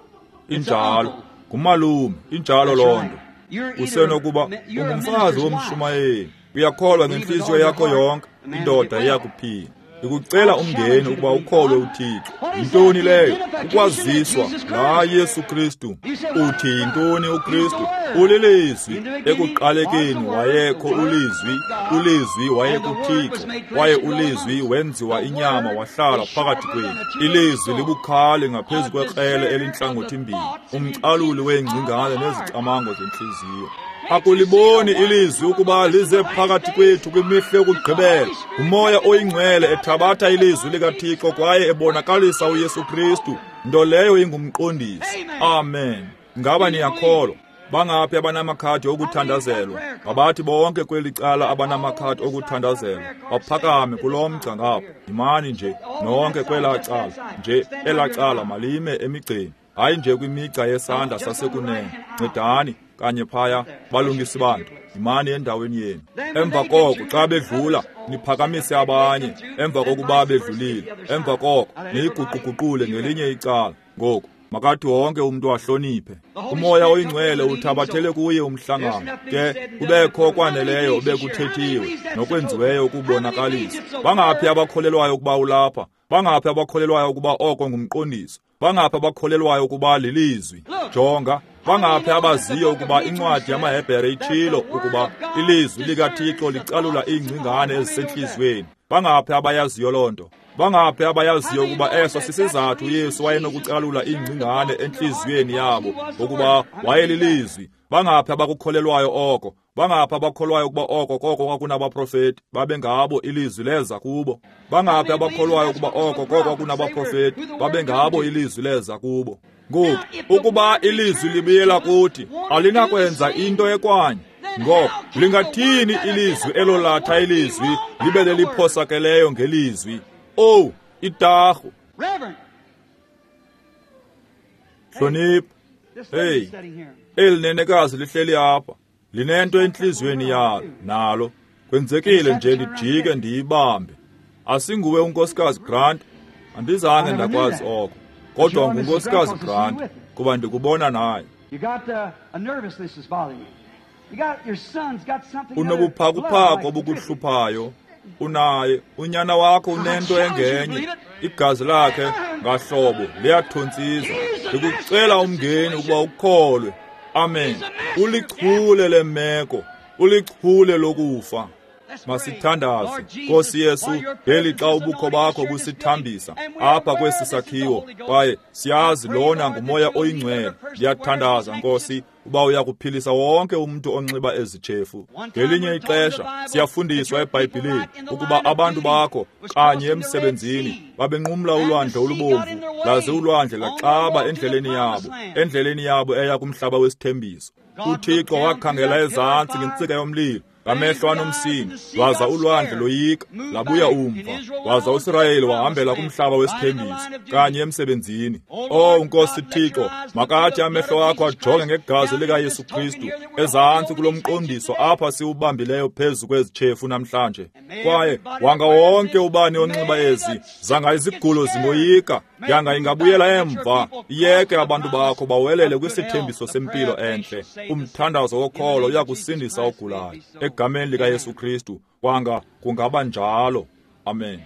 S1: Injalo, ngumalume, injalo loo nto. Usenokuba ungumfazi womshumayeli, uyakholwa ngentliziyo yakho yonke, indoda iyakuphila. Ndikucela umngeni ukuba ukholwe uThixo. Yintoni leyo? Ukwaziswa laa Yesu Kristu. Uthi yintoni uKristu? Ulilizwi. Ekuqalekeni wayekho ulizwi, ulizwi wayekuThixo, kwaye ulizwi wenziwa inyama wahlala phakathi kwethu. Ilizwi libukhali ngaphezu kwekrele elintlangothimbili, umcaluli weengcingane nezicamango zentliziyo. Akuliboni ilizwi ukuba lize phakathi kwethu kwimihla yokugqibela. Umoya oyingcwele ethabatha ilizwi likaThixo kwaye ebonakalisa uYesu Kristu, nto leyo ingumqondisi. Amen. Ngaba niyakholwa? Bangaphi abanamakhadi okuthandazelwa? Mabathi bonke kweli cala abanamakhadi okuthandazelwa baphakame kulo mgca ngapha. Yimani nje nonke kwelaa cala, nje elaa cala malime emigceni, hayi nje kwimigca yesandla sasekunene. Ncedani kanye phaya, balungisi bantu, yimani endaweni yenu. Emva koko xa bedlula niphakamise abanye. Emva kokuba bedlulile, emva koko niyiguquguqule ngelinye icala. Ngoku makathi wonke umntu ahloniphe. Umoya oyingcwele uthabathele kuye umhlangano, ke kubekho kwaneleyo obekuthethiwe nokwenziweyo ukubonakalisa. Bangaphi abakholelwayo ukuba ulapha? Bangaphi abakholelwayo ukuba oko ngumqondiso? Bangaphi abakholelwayo ukuba lilizwi? Jonga, bangaphi abaziyo ukuba incwadi yamaHebhere itshilo ukuba ilizwi likaThixo licalula iingcingane ezisentliziyweni? Bangaphi abayaziyo loo nto? Bangaphi abayaziyo ukuba eso sisizathu uYesu wayenokucalula iingcingane entliziyweni yabo, ukuba wayelilizwi? Bangaphi abakukholelwayo oko? Bangaphi abakholwayo ukuba oko koko kwakunabaprofeti babengabo ilizwi leza kubo? Bangaphi abakholwayo ukuba oko koko kwakunabaprofeti babengabo ilizwi leza kubo? Ngoku ukuba ilizwi libuyela kuthi, alinakwenza into ekwanye. Ngoko lingathini ilizwi elolatha ilizwi libe leliphosakeleyo ngelizwi? Oh, itarhu. Hlonipha. Hey, eli nenekazi lihleli apha, linento entliziyweni yalo nalo. Kwenzekile nje ndijike ndiyibambe. Asinguwe uNkosikazi Grant, andizange ndakwazi oko, kodwa nguNkosikazi Grant kuba ndikubona naye. Unobuphakuphaku obukuhluphayo. Unaye unyana wakho unento engenye, igazi lakhe ngahlobo liyathontsizwa. Ndikucela umngeni ukuba ukholwe. Amen. Ulichule lemeko, ulichule lokufa. Masithandaze. Nkosi Yesu, ngelixa ubukho bakho busithambisa apha kwesi sakhiwo, kwaye siyazi lona nguMoya oyiNgcwele. Ndiyathandaza Nkosi uba uyakuphilisa wonke umntu onxiba ezitshefu. Ngelinye ixesha siyafundiswa eBhayibhileni ukuba abantu bakho kanye emsebenzini babenqumla ulwandle olubomvu, laze ulwandle laxaba endleleni yabo, endleleni yabo eya kumhlaba wesithembiso. UThixo wakhangela ezantsi ngentsika yomlilo, ngamehlo anomsini, waza ulwandle loyika, labuya umva, waza uSirayeli wahambela kumhlaba wesithembiso kanye emsebenzini. Oh Nkosi Thixo, makathi amehlo akho ajonge ngegazi likaYesu Kristu ezantsi kulo mqondiso apha siwubambileyo phezu kwezitshefu namhlanje. Kwaye wanga wonke ubani onxiba ezi, zanga izigulo zingoyika, yanga ingabuyela emva, iyeke abantu bakho bawelele kwisithembiso sempilo entle. Umthandazo wokholo uyakusindisa ogulayo. Egameni likaYesu Kristu, kwanga kungaba njalo. Amen.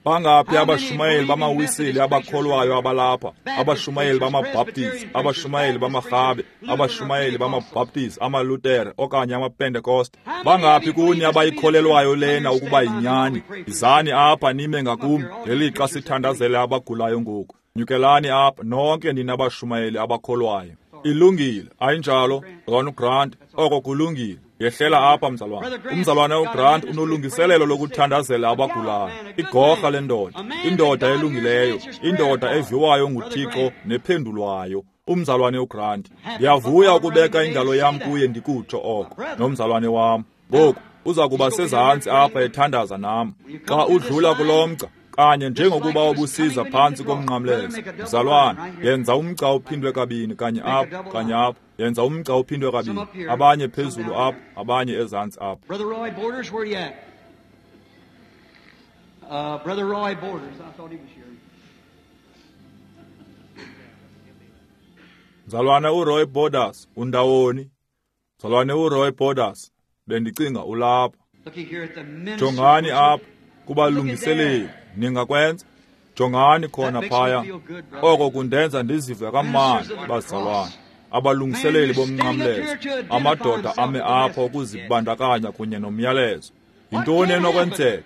S1: Bangaphi abashumayeli bamawisile abakholwayo abalapha, abashumayeli bamaBaptist, abashumayeli bamaRhabe, abashumayeli bamaBaptist, amaLutere okanye amaPentekoste? Bangaphi kuni abayikholelwayo lena ukuba yinyani? Izani apha nime ngakum ngelixa sithandazele abagulayo ngoku. Nyukelani apha nonke nina abashumayeli abakholwayo. Ilungile, ayinjalo, Mzalwane uGrant? Oko kulungile. Yehlela apha mzalwane. Umzalwane uGrant unolungiselelo lokuthandazela abagulayo. Igorha lendoda, indoda elungileyo, indoda eviwayo nguThixo nephendulwayo. Umzalwane uGrant. Ndiyavuya ukubeka ingalo yam kuye ndikutsho oko nomzalwane wam. Ngoku uza kuba sezantsi apha ethandaza nam. Xa udlula kulo mgca, kanye njengokuba ubusiza phantsi komnqamlezo, mzalwane, yenza umgca uphindwe kabini, kanye apha, kanye apha. Yenza umgca uphindwe kabini, abanye phezulu apha, abanye ezantsi apha.
S2: Brother Roy Borders, where you at? Uh, Brother Roy Borders, I thought he was here.
S1: Mzalwane uRoy Borders, undawoni? Mzalwane uRoy Borders, bendicinga ulapha. Jongani apha kubalungiseleli, ningakwenza? Jongani khona phaya. Oko kundenza ndizive kamnandi, bazalwane. Abalungiseleli bomnqamlezo, amadoda ame apha ukuzibandakanya kunye nomyalezo. Yintoni enokwenzeka?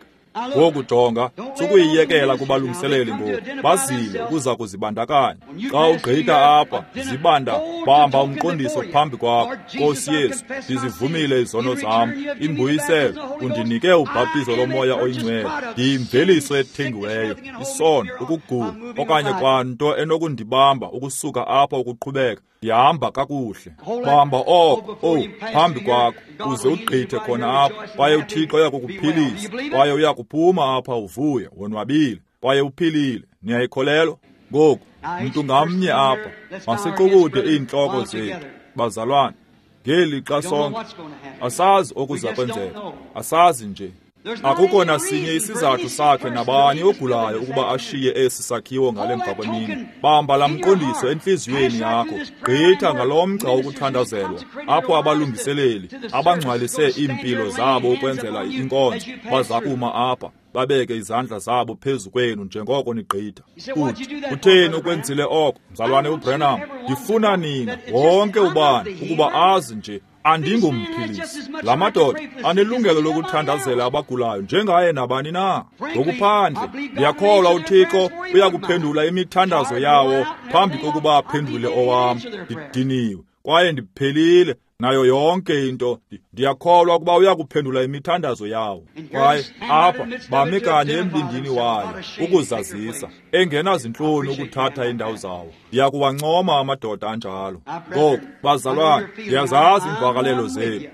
S1: Ngoku jonga, sukuyiyekela kubalungiseleli ngoku. Bazile ukuza kuzibandakanya. Xa ugqitha apha, zibanda, bamba umqondiso phambi kwakho. Nkosi Yesu, ndizivumile izono zam. Imbuyiselo, undinike ubhaptizo loMoya oyiNgcwele. Ndiyimveliso ethengiweyo, isono, ukugula, okanye kwanto enokundibamba ukusuka apha ukuqhubeka. Ndihamba kakuhle. Bamba oko, oh, phambi kwakho, uze ugqithe khona apha, kwaye uThixo uyakukuphilisa, kwaye uyakuphuma apha uvuye, wonwabile, kwaye uphilile. Niyayikholelwa? Ngoku, mntu ngamnye apha, masiqukude iintloko zethu, bazalwane, ngelixa sonke. Asazi okuza kwenzeka, asazi nje. Akukho nasinye isizathu sakhe nabani ogulayo ukuba ashiye esi sakhiwo ngale mva kwemini. Bamba laa mqondiso entliziyweni yakho, gqitha ngalo mgca wokuthandazelwa, apho abalungiseleli abangcwalise iimpilo zabo ukwenzela inkonzo baza kuma apha, babeke izandla zabo phezu kwenu njengoko nigqitha. Uthi, kutheni ukwenzile oko, mzalwane uBrenham? Ndifuna nina wonke ubani ukuba azi nje andingumphilisi. La madoda anelungelo lokuthandazela abagulayo njengaye nabani na. Ngokuphandle, ndiyakholwa uThixo uyakuphendula imithandazo yawo phambi kokuba aphendule owam. Ndidiniwe kwaye ndiphelile nayo yonke into. Ndiyakholwa ukuba uyakuphendula imithandazo yawo. Kwaye apha bame kanye embindini wayo ukuzazisa, engenazintloni ukuthatha indawo zawo. Ndiyakuwancoma amadoda anjalo. Ngoku, bazalwane, ndiyazazi iimvakalelo zenu.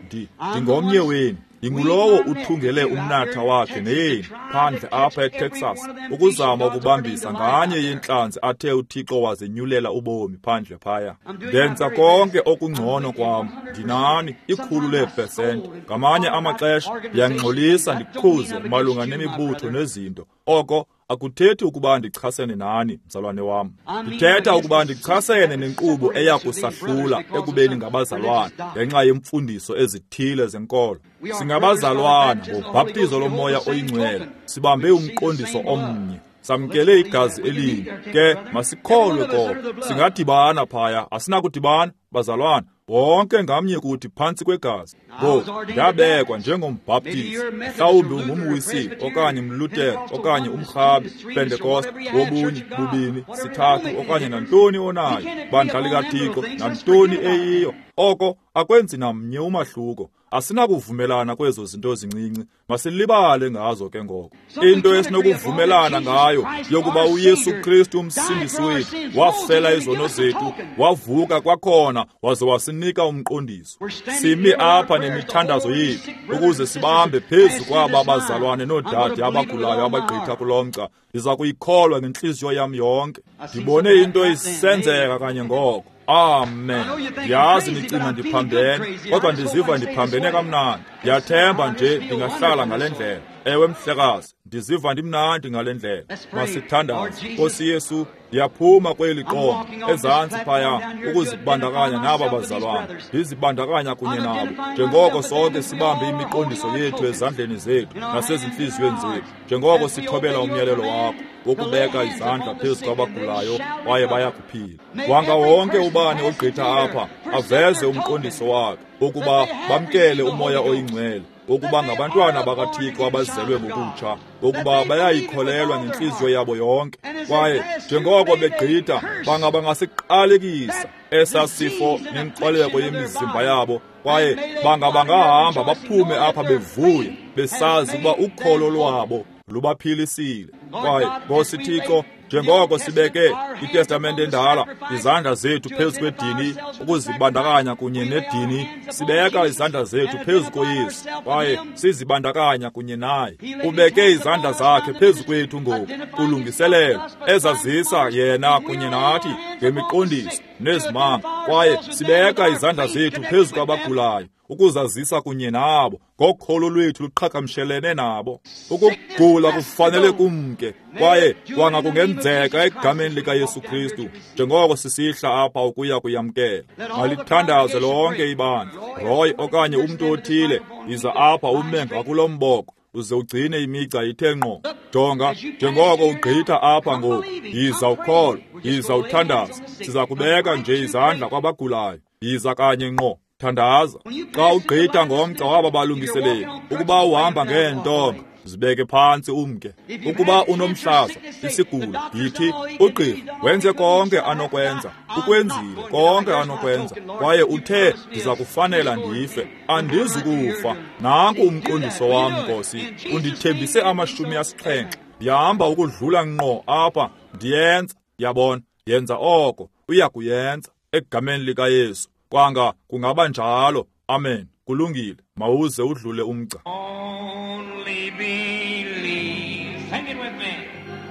S1: Ndingomnye wenu. Ndingulowo uthungele umnatha wakhe neyenu phandle apha eTexas ukuzama ukubambisa nganye yentlanzi athe uThixo wazinyulela ubomi phandle phaya. Ndenza konke okungcono kwam, ndinani ikhulu leepesenti. Ngamanye amaxesha ndiyangxolisa ndikhuze malunga nemibutho nezinto. Oko akuthethi ukuba ndichasene nani, mzalwane wam. Ndithetha ukuba ndichasene nenkqubo eya kusahlula ekubeni ngabazalwane ngenxa yemfundiso ezithile zenkolo. Singabazalwana ngobhaptizo loMoya oyiNgcwele, sibambe umqondiso omnye, samkele igazi elinye. Ke masikholwe koko. Singadibana phaya, asinakudibana, bazalwane. Wonke ngamnye kuthi phantsi kwegazi. Ngoku ndabekwa njengombhaptizi, mhlawumbi ungumwisile okanye umlutere okanye umrhabe, Pentekoste, wobunye, bubini, sithathu okanye nantoni onayo, bandla likaThixo, nantoni eyiyo. Oko akwenzi namnye umahluko. Asinakuvumelana kwezo zinto zincinci, masilibale ngazo ke ngoko. Into esinokuvumelana ngayo yokuba uYesu Kristu umsindisi wethu wafela izono zethu, wavuka kwakhona waze wasinika umqondiso. Simi apha nemithandazo yethu ukuze sibambe phezu kwaba bazalwane noodade abagulayo abagqitha kulo mgca. Ndiza kuyikholwa ngentliziyo yam yonke. Ndibone into isenzeka kanye ngoko. Amen. Ndiyazi nicinga ndiphambene, kodwa ndiziva ndiphambene kamnandi. Ndiyathemba nje ndingahlala ngale ndlela. Ewe mhlekazi, ndiziva ndimnandi ngale ndlela. Masithandaze. Nkosi Yesu, ndiyaphuma kweli qonga ezantsi phaya ukuzibandakanya naba bazalwane. Ndizibandakanya kunye nabo njengoko sonke sibambe imiqondiso yethu ezandleni zethu nasezintliziyweni zethu, njengoko sithobela umyalelo wakho wokubeka izandla phezu kwabagulayo kwaye bayakuphila. Wanga wonke ubani ogqitha apha aveze umqondiso wakhe ukuba bamkele umoya oyingcwele, ukuba ngabantwana bakaThixo abazelwe ngokutsha, ukuba bayayikholelwa ngentliziyo yabo yonke. Kwaye njengoko begqitha bangaba ngasiqalekisa esa sifo nenkoleko yemizimba yabo, kwaye bangaba ngahamba baphume apha bevuya, besazi ukuba ukholo lwabo lubaphilisile. Kwaye Nkosi Thixo, njengoko sibeke iTestamente endala izandla zethu phezu kwedini ukuzibandakanya kunye nedini, sibeka izandla zethu phezu koYesu kwaye sizibandakanya kunye naye. Ubeke izandla zakhe phezu kwethu ngoku kulungiselelo ezazisa yena kunye nathi ngemiqondiso nezimanga, kwaye sibeka izandla zethu phezu kwabagulayo ukuzazisa kunye nabo ngokholo lwethu luqhagamshelene nabo. Ukugula kufanele kumke, kwaye kwanga kungenzeka egameni likaYesu Kristu njengoko sisihla apha ukuya kuyamkela. Malithandaze lonke ibandla. Roy okanye umntu othile, yiza apha ume ngakulo mboko uze ugcine imigca ithe ngqo. Jonga, njengoko ugqitha apha ngoku, yiza ukholo, yiza uthandaza. Siza kubeka nje izandla kwabagulayo. Yiza kanye ngqo, thandaza. Xa ugqitha ngomgca waba balungiseleli, ukuba uhamba ngeentonga, zibeke phantsi umke. Ukuba unomhlaza, isigulo, yithi ugqirha wenze konke anokwenza, ukwenzile konke anokwenza, kwaye uthe ndiza kufanela ndife, andizukufa. Nanku umqondiso wam, Nkosi, undithembise amashumi asixhenxe. Ndihamba ukudlula ngqo apha, ndiyenza. Yabona, yenza oko, uya kuyenza egameni likaYesu. Kwanga kungaba njalo. Amen. Kulungile, mawuze udlule umgca.
S3: Only believe. Sing it with me.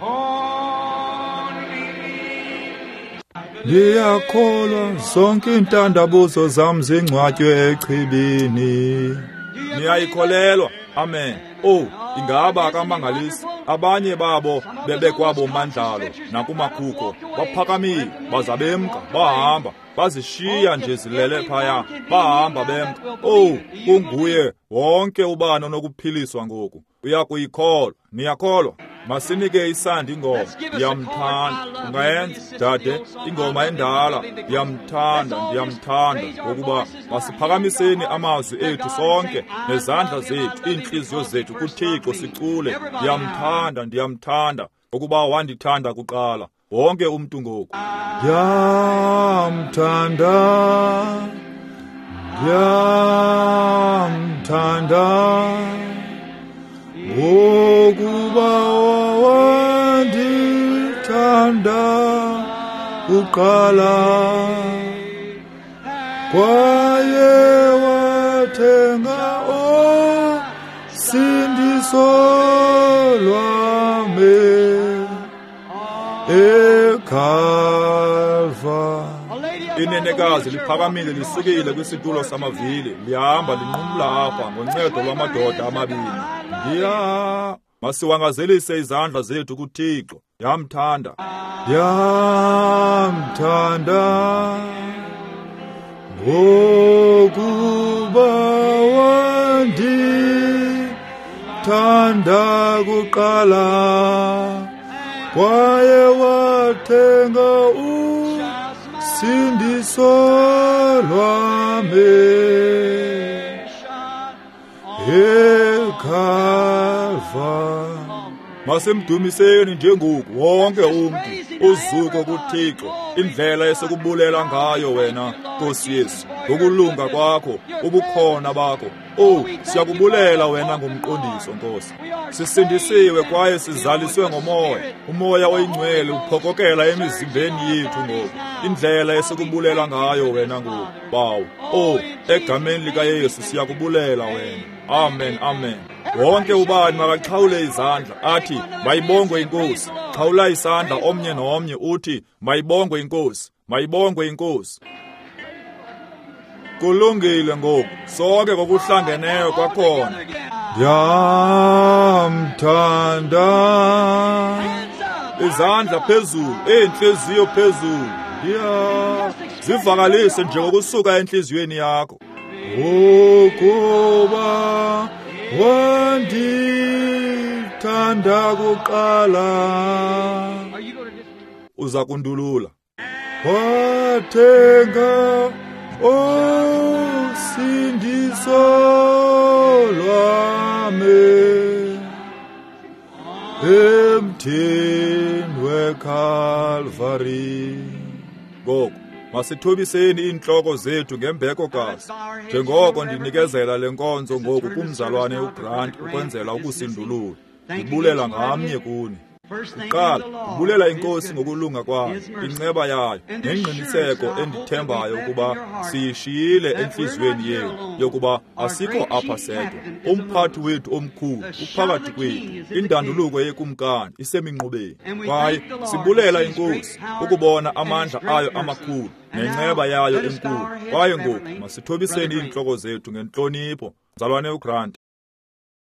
S3: Only believe.
S1: Ndiyakholwa zonke iintandabuzo zam zingcwatywe echibini. Niyayikholelwa? Amen. Oh, ingaba akamangalisi? Abanye babo bebekwabo mandlalo nakumakhukho, baphakamile baza bemka, bahamba, bazishiya nje zilele phaya, bahamba bemka. Oh, kunguye wonke ubani onokuphiliswa ngoku. Uyakuyikholwa? Niyakholwa? Masinike isandi ingoma ndiyamthanda. Ungayenza, dade, ingoma endala, ndiyamthanda, ndiyamthanda. Ngokuba masiphakamiseni amazwi ethu sonke nezandla zethu, iintliziyo zethu kuThixo, sicule ndiyamthanda, ndiyamthanda, ngokuba wandithanda kuqala. Wonke umntu ngoku. Ndiyamthanda, ndiyamthanda, ngokuba wandithanda kuqala, kwaye wathenga usindiso lwami eKalvari. Inenekazi liphakamile lisukile kwisitulo samavili, lihamba linqumla apha ngoncedo lwamadoda amabini. Ndiya, masiwangazelise izandla zethu kuThixo. Ndiyamthanda, ndiyamthanda, ngokuba wandithanda kuqala, Kwaye wathenga usindiso lwami eKalvari. Masimdumiseni njengoku wonke umntu, uzuko kuThixo, indlela esikubulela ngayo wena Nkosi Yesu, ngokulunga kwakho, ubukhona bakho. Oh, siyakubulela wena ngomqondiso Nkosi. Sisindisiwe kwaye sizaliswe ngomoya. Umoya oyingcwele uphokokela emizimbeni yethu ngoku. Indlela esikubulela ngayo wena ngoku, Bawo. Oh, egameni likaYesu siyakubulela wena. Amen, amen. Wonke ubani makaxhawule izandla athi mayibongwe iNkosi. Xhawula isandla omnye nomnye uthi mayibongwe iNkosi, mayibongwe iNkosi. Kulungile ngoku, sonke ngokuhlangeneyo kwakhona. Ndiyamthanda. Izandla phezulu, iintliziyo phezulu. Ya, zivakalise nje ngokusuka entliziyweni yakho. Ukuba wandithanda kuqala, uza kundulula. Wathenga usindiso lwami emthini weKalvari. Ngoku masithobiseni iintloko zethu ngembeko kazi, njengoko ndinikezela le nkonzo ngoku kumzalwane uGrant ukwenzela ukusindulula. Ndibulela ngamnye kuni. Kuqala, ndibulela iNkosi ngokulunga kwayo, inceba yayo, nengqiniseko endithembayo ukuba siyishiyile entliziyweni yethu, yokuba asikho apha sedwa. Umphathi wethu omkhulu uphakathi kwethu, indanduluko yekumkani iseminqubeni. Kwaye sibulela iNkosi ukubona amandla ayo amakhulu nenceba yayo enkulu. Kwaye ngoku masithobiseni iintloko zethu ngentlonipho. Mzalwane uGrant.